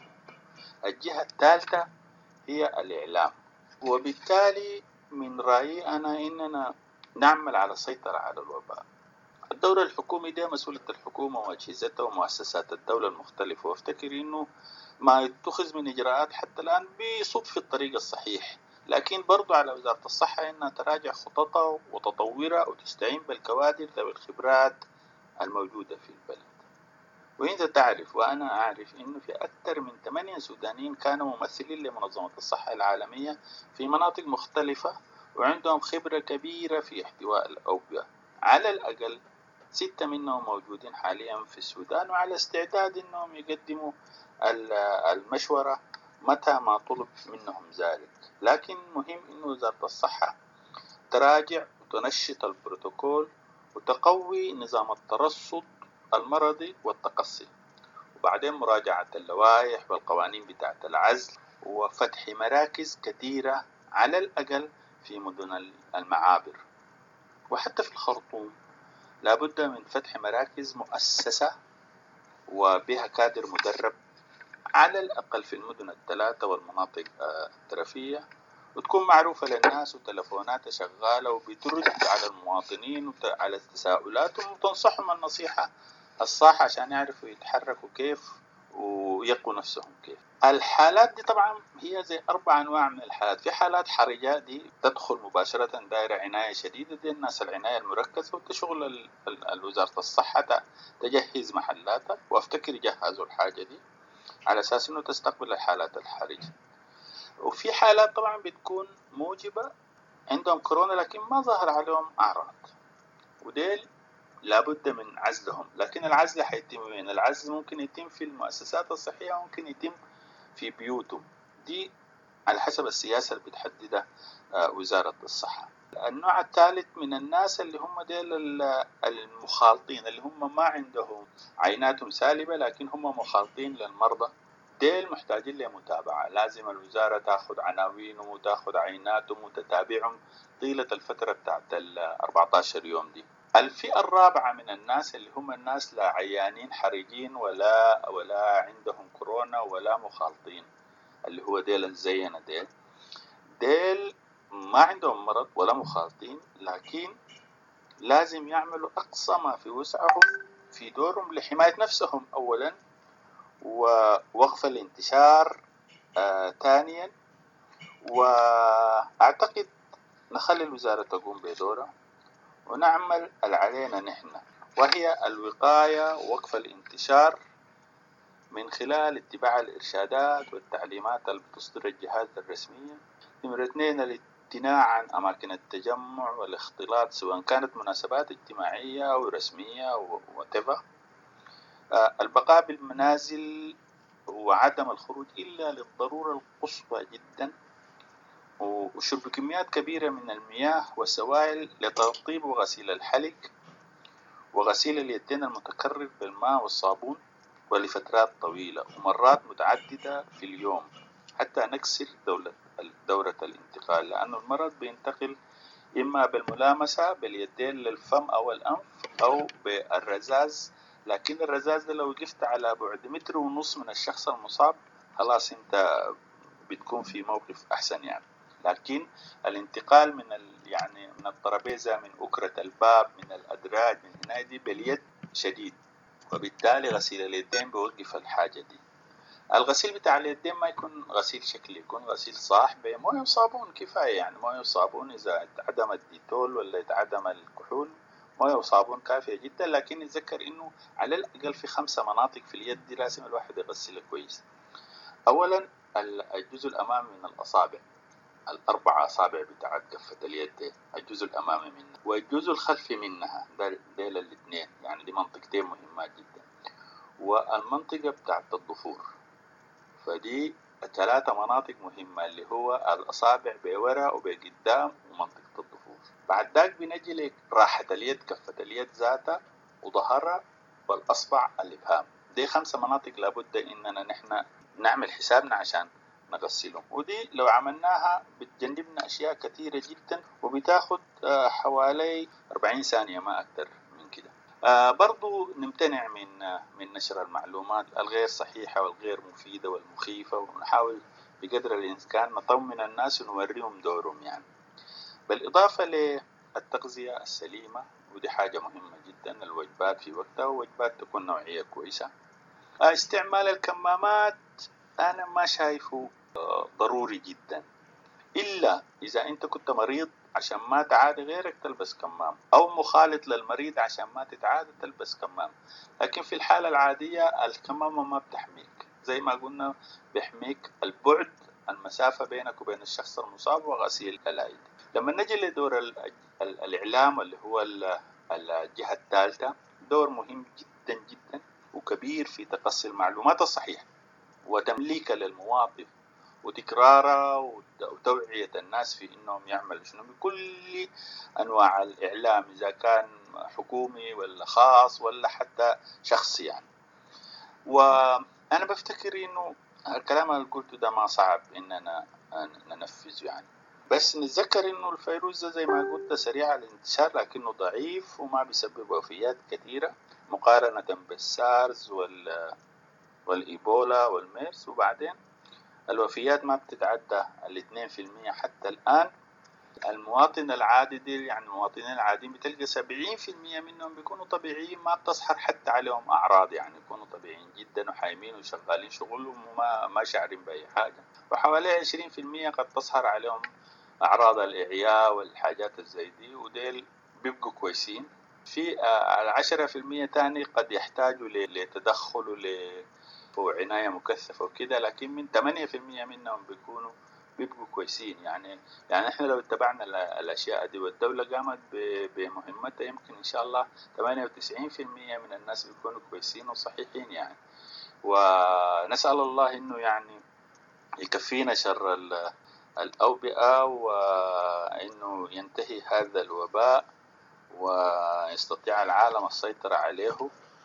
الجهة الثالثة هي الإعلام. وبالتالي من رأيي أنا إننا نعمل على السيطرة على الوباء. الدور الحكومي ده مسؤولية الحكومة وأجهزتها ومؤسسات الدولة المختلفة، وافتكر إنه ما يتخذ من إجراءات حتى الآن بيصب في الطريق الصحيح، لكن برضو على وزارة الصحة إنها تراجع خططها وتطورها وتستعين بالكوادر ذوي الخبرات الموجودة في البلد. وإنت تعرف وأنا أعرف إنه في أكثر من ثمانية سودانيين كانوا ممثلين لمنظمة الصحة العالمية في مناطق مختلفة وعندهم خبرة كبيرة في احتواء الأوبئة. على الأقل ستة منهم موجودين حاليا في السودان وعلى استعداد إنهم يقدموا المشورة متى ما طلب منهم ذلك. لكن مهم إنه وزارة الصحة تراجع وتنشط البروتوكول وتقوي نظام الترصد المرضي والتقصي، وبعدين مراجعة اللوائح والقوانين بتاعة العزل وفتح مراكز كثيرة على الأقل في مدن المعابر وحتى في الخرطوم. لابد من فتح مراكز مؤسسة وبها كادر مدرب على الأقل في المدن الثلاثة والمناطق الترفية، وتكون معروفة للناس وتلفوناتها شغالة وبترد على المواطنين وعلى تساؤلاتهم وتنصحهم النصيحة الصح عشان يعرفوا يتحركوا كيف ويقوا نفسهم كيف. الحالات دي طبعا هي زي أربع أنواع من الحالات. في حالات حرجة دي تدخل مباشرة دائرة عناية شديدة، دي الناس العناية المركزة وتشغل وزارة الصحة تجهز محلاتها، وأفتكر جهزوا الحاجة دي على أساس أنه تستقبل الحالات الحرجة. وفي حالات طبعا بتكون موجبة عندهم كورونا لكن ما ظهر عليهم أعراض، وديل لابد من عزلهم. لكن العزل حيتم وين؟ العزل ممكن يتم في المؤسسات الصحية، ممكن يتم في بيوتهم، دي على حسب السياسة اللي بتحددها وزارة الصحة. النوع الثالث من الناس اللي هم ديل المخالطين، اللي هم ما عندهم عيناتهم سالبة لكن هم مخالطين للمرضى، ديل محتاجين لمتابعة. لازم الوزارة تأخذ عناوينهم وتأخذ عيناتهم وتتابعهم طيلة الفترة بتاعت ال أربعة عشر يوم دي. الفئة الرابعة من الناس اللي هم الناس لا عيانين حرجين ولا ولا عندهم كورونا ولا مخالطين، اللي هو ديل الزينة، ديل ديل ما عندهم مرض ولا مخالطين، لكن لازم يعملوا أقصى ما في وسعهم في دورهم لحماية نفسهم أولا، ووقف الانتشار آه ثانيا. وأعتقد نخلي الوزارة تقوم بدورها ونعمل اللي علينا نحن، وهي الوقاية ووقف الانتشار من خلال اتباع الإرشادات والتعليمات اللي بتصدر الجهات الرسمية. نمرة اثنين، الامتناع عن أماكن التجمع والاختلاط سواء كانت مناسبات اجتماعية أو رسمية أو whatever. البقاء بالمنازل وعدم الخروج إلا للضرورة القصوى جدا، وشرب كميات كبيرة من المياه والسوائل لترطيب وغسيل الحلق وغسيل اليدين المتكرر بالماء والصابون ولفترات طويلة ومرات متعددة في اليوم حتى نكسر دولة دورة الانتقال، لأن المرض بينتقل إما بالملامسة باليدين للفم أو الأنف أو بالرذاذ، لكن الرذاذ ده لو وقفت على بعد متر ونص من الشخص المصاب خلاص أنت بتكون في موقف أحسن يعني. لكن الانتقال من ال يعني من الترابيزة، من أكرة الباب، من الأدراج، من هنا دي باليد شديد، وبالتالي غسيل اليدين بيوقف الحاجة دي. الغسيل بتاع اليدين ما يكون غسيل شكلي، يكون غسيل صح بمويه وصابون كفاية يعني. مويه وصابون إذا اتعدم الديتول ولا اتعدم الكحول، مويه وصابون كافية جدا. لكن نتذكر إنه على الأقل في خمسة مناطق في اليد دي لازم الواحد يغسلها كويس. أولا الجزء الأمامي من الأصابع، الأربع أصابع بتاعت كفة اليد دي، الجزء الأمامي منها والجزء الخلفي منها، ديل الاثنين يعني دي منطقتين مهمات جدا، والمنطقة بتاعت الضفور. فدي ثلاثة مناطق مهمة اللي هو الأصابع بورا وبقدام ومنطقة الضفور. بعد ذاك بنجي لراحة اليد، كفة اليد ذاتها وظهرها والأصبع الإبهام. دي خمسة مناطق لابد إننا نحن نعمل حسابنا عشان نغسلهم، ودي لو عملناها بتجنبنا أشياء كثيرة جدا، وبتاخد حوالي أربعين ثانية ما أكثر من كده. برضو نمتنع من من نشر المعلومات الغير صحيحة والغير مفيدة والمخيفة، ونحاول بقدر الإمكان نطمن الناس ونوريهم دورهم يعني. بالإضافة للتغذية السليمة، ودي حاجة مهمة جدا، الوجبات في وقتها ووجبات تكون نوعية كويسة. استعمال الكمامات أنا ما شايفه ضروري جدا، إلا إذا أنت كنت مريض عشان ما تعادي غيرك تلبس كمام، أو مخالط للمريض عشان ما تتعادى تلبس كمام. لكن في الحالة العادية الكمامة ما بتحميك، زي ما قلنا بيحميك البعد، المسافة بينك وبين الشخص المصاب، وغسيل الأيدي. لما نجي لدور الإعلام اللي هو الجهة الثالثة، دور مهم جدا جدا وكبير في تقصي المعلومات الصحيحة وتمليكها للمواطن وتكرارها وتوعية الناس في إنهم يعملوا شنو بكل أنواع الإعلام، إذا كان حكومي ولا خاص ولا حتى شخصي يعني. وأنا بفتكر إنه الكلام اللي قلته ده ما صعب إننا ننفذه يعني، بس نتذكر إنه الفيروس ده زي ما قلت سريع الانتشار، لكنه ضعيف وما بيسبب وفيات كثيرة مقارنة بالسارز وال والإيبولا والميرس. وبعدين الوفيات ما بتتعدى الاثنين في المية حتى الآن. المواطن العادي دي يعني المواطنين العاديين بتلقى سبعين في المية منهم بيكونوا طبيعيين، ما بتظهر حتى عليهم أعراض يعني، يكونوا طبيعيين جدا وحايمين وشغالين شغلهم وما ما شعرين بأي حاجة. وحوالي عشرين في المية قد تظهر عليهم أعراض الإعياء والحاجات الزي دي، وديل بيبقوا كويسين. في العشرة في المية تاني قد يحتاجوا لتدخل وعناية مكثفة وكده، لكن من ثمانية في المية منهم بيكونوا بيبقوا كويسين يعني. يعني احنا لو اتبعنا الأشياء دي والدولة قامت بمهمتها، يمكن إن شاء الله ثمانية وتسعين في المية من الناس بيكونوا كويسين وصحيحين يعني. ونسأل الله إنه يعني يكفينا شر الأوبئة، وإنه ينتهي هذا الوباء ويستطيع العالم السيطرة عليه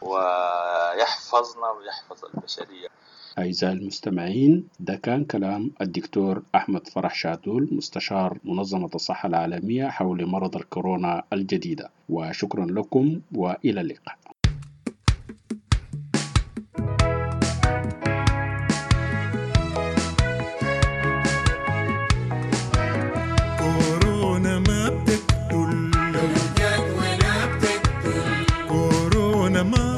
ويحفظنا ويحفظ البشرية. أعزائي المستمعين، ده كان كلام الدكتور أحمد فرح شادول مستشار منظمة الصحة العالمية حول مرض الكورونا الجديدة، وشكرا لكم وإلى اللقاء. كورونا ما بتقتل لو جات ولا بتقتل، كورونا ما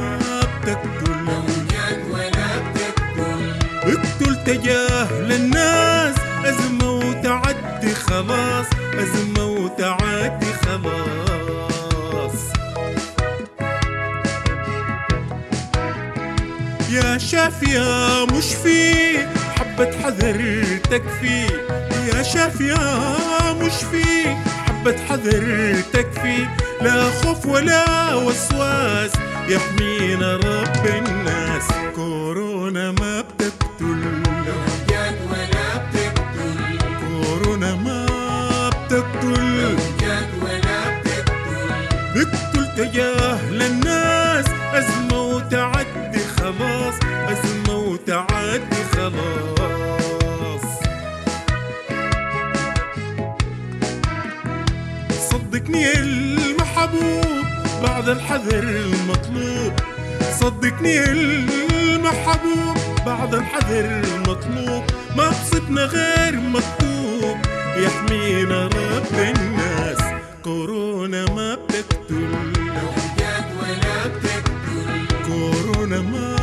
بتقتل لو جات ولا بتقتل، اقتل تجاهل الناس، أزمة وتعدي خلاص، أزمة وتعدي خلاص. يا شاف يا مشفي حبة حذر تكفي، يا شاف يا مشفي حبة حذر تكفي، لا خوف ولا وسواس يحمينا رب الناس. كورونا ما بتقتل لو جات ولا بتقتل، كورونا ما بتقتل لو جات ولا بتقتل، بتقتل تجاهل الناس، أزمة وتعدي خلاص، أزمة وتعدي خلاص. صدقني المحبوب بعد الحذر المطلوب، صدقني المحبوب بعد الحذر المطلوب، ما بصبنا غير مكتوب يحمينا رب الناس. كورونا ما بتقتل لو جات ولا بتقتل، كورونا ما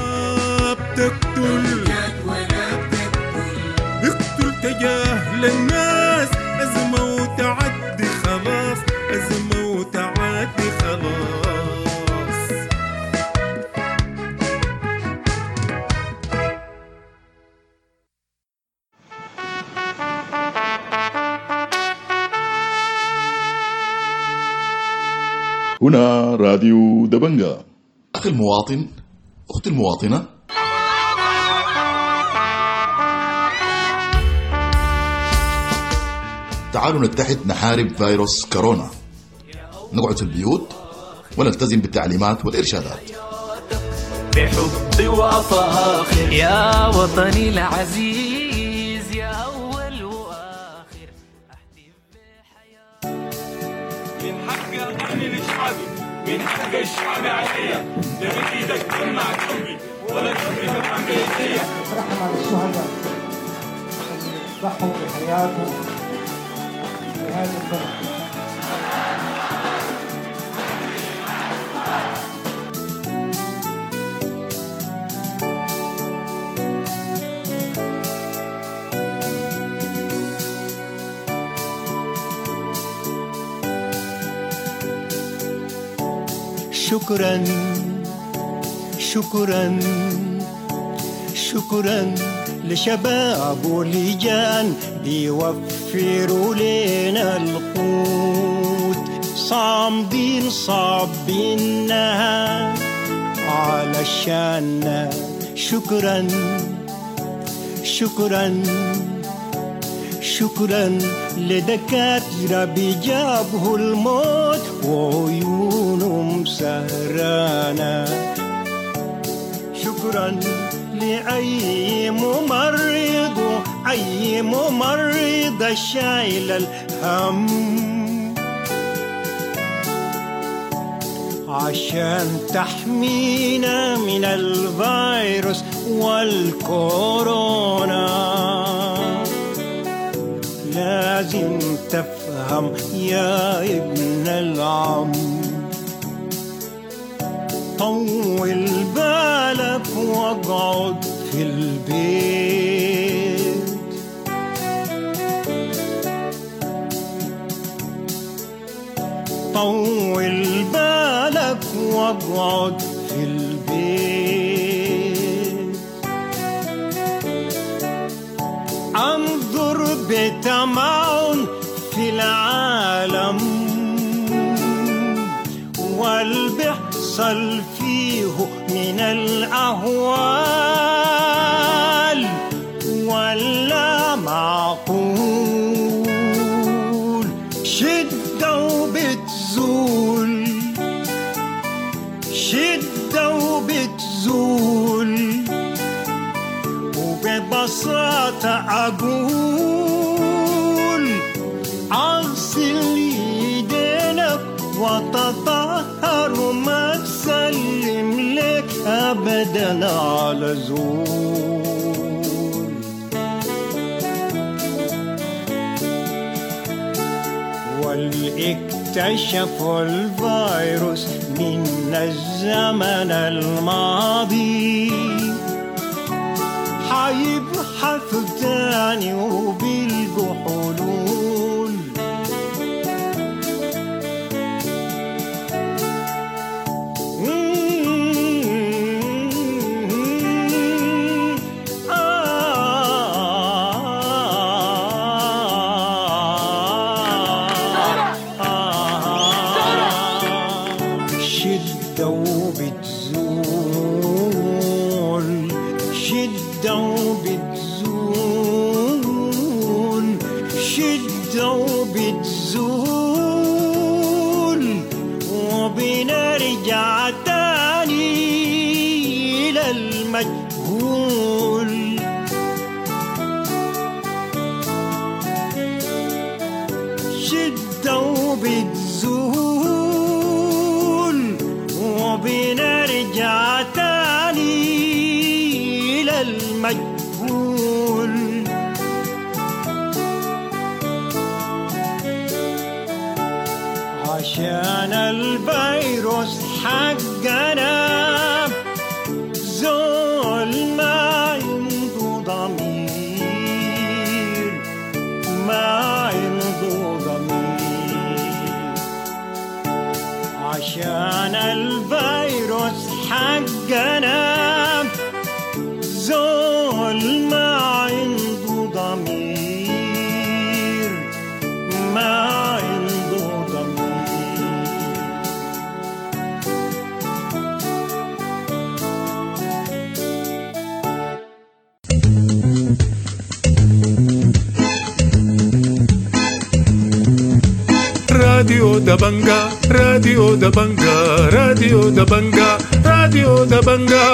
بتقتل لو جات ولا بتقتل، بتقتل تجاهل الناس، أزمة وتعدي خلاص، أزمة وتعدي خلاص. هنا راديو دبنجا. أخي المواطن، أختي المواطنة، تعالوا نتحد نحارب فيروس كورونا، نقعد في البيوت ونلتزم بالتعليمات والإرشادات. بحب وفاخر يا وطني العزيز، يا أول وآخر أحلف بحياتي. من حق أحمي لشعبي، من حق الشعب عليا، لا بإيدك تمنع قلبي ولا تمنع بإيديا. رحمة على الشهداء اللي ضحوا بحياتهم لهذا البلد. شكرا شكرا شكرا لشباب ولجان بيوفروا لنا القوت، صامدين صابينها علشان. شكرا شكرا شكرا لدكاترة بيجابه الموت وعيونهم سهرانة. شكرا لأي ممرض أي ممرضة شايل الهم عشان تحمينا من الفيروس والكورونا. لازم تفهم يا ابن العم، طول بالك واقعد في البيت. طول بالك واقعد في البيت. انظر بتمعن في العالم والبحصل فيه من الأهوال ولا معقول. شدة وبتزول، شدة وبتزول، وببساطة أقول أغسل يدينك وتطهر وما تسلم لك أبدا على زول. والاكتشفوا الفيروس من الزمن الماضي حيبحثوا تاني وبيلقوا حلول. شدة وبتزول، شدة وبتزول، شدة وبتزول، وبنرجع تاني إلى المجهول. شدة وبتزول، وبنرجع تاني إلى المجهول. عشان الفيروس حقنا زول ما عنده ضمير، ما عنده ضمير. عشان الفيروس حقنا زول ما عنده ضمير، ما عنده ضمير. راديو دبنجا، راديو دبنجا، راديو دبنجا، راديو دبنجا.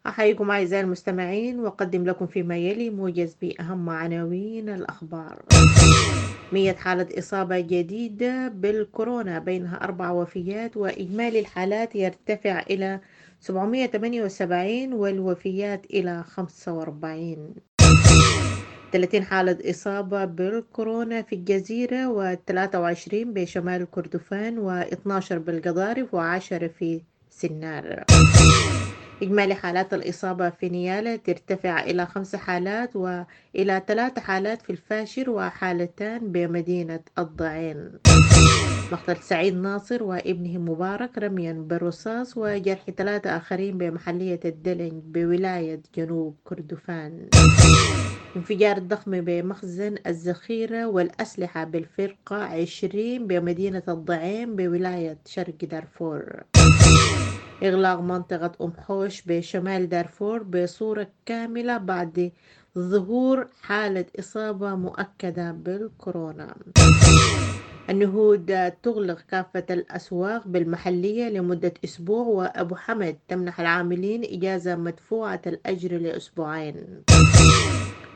أحييكم أعزائي المستمعين وأقدم لكم فيما يلي موجز بأهم عناوين الأخبار. مئة حالة إصابة جديدة بالكورونا بينها أربع وفيات، وإجمالي الحالات يرتفع إلى سبعمئة وثمانية وسبعين والوفيات إلى خمسة وأربعين. ثلاثين حالة إصابة بالكورونا في الجزيرة، وثلاثة وعشرين بشمال كردفان، واثناشر بالقضارف، وعشرة في سنار. إجمالي حالات الإصابة في نيالا ترتفع إلى خمس حالات وإلى ثلاث حالات في الفاشر وحالتان بمدينة الضعين. مقتل سعيد ناصر وابنه مبارك رميا بالرصاص وجرح ثلاثة آخرين بمحلية الدلنج بولاية جنوب كردفان. انفجار ضخم بمخزن الذخيرة والأسلحة بالفرقة عشرين بمدينة الضعين بولاية شرق دارفور. إغلاق منطقة أم حوش بشمال دارفور بصورة كاملة بعد ظهور حالة إصابة مؤكدة بالكورونا. النهود تغلق كافة الأسواق بالمحلية لمدة أسبوع، وأبو حمد تمنح العاملين إجازة مدفوعة الأجر لأسبوعين.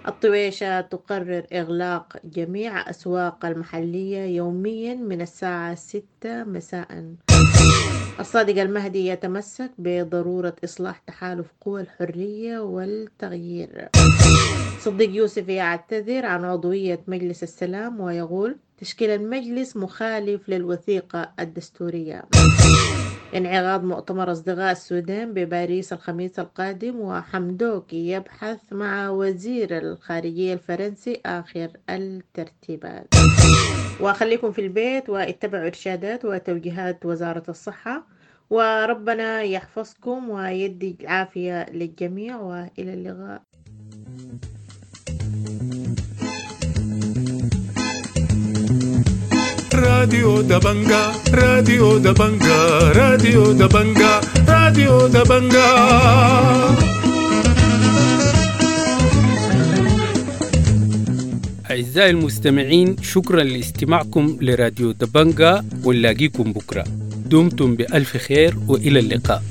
الطويشة تقرر إغلاق جميع أسواق المحلية يوميا من الساعة ستة مساء. الصادق المهدي يتمسك بضرورة إصلاح تحالف قوى الحرية والتغيير. صديق يوسف يعتذر عن عضوية مجلس السلام ويقول تشكيل المجلس مخالف للوثيقة الدستورية. انعقاد مؤتمر أصدقاء السودان بباريس الخميس القادم، وحمدوك يبحث مع وزير الخارجية الفرنسي آخر الترتيبات. وخليكم في البيت واتبعوا إرشادات وتوجيهات وزارة الصحة، وربنا يحفظكم ويدي العافية للجميع، وإلى اللقاء. راديو دبنجا، راديو دبنجا، راديو دبنجا، راديو دبنجا. أعزائي المستمعين، شكرا لاستماعكم لراديو دبنجا، ونلاقيكم بكرة. دمتم بألف خير وإلى اللقاء.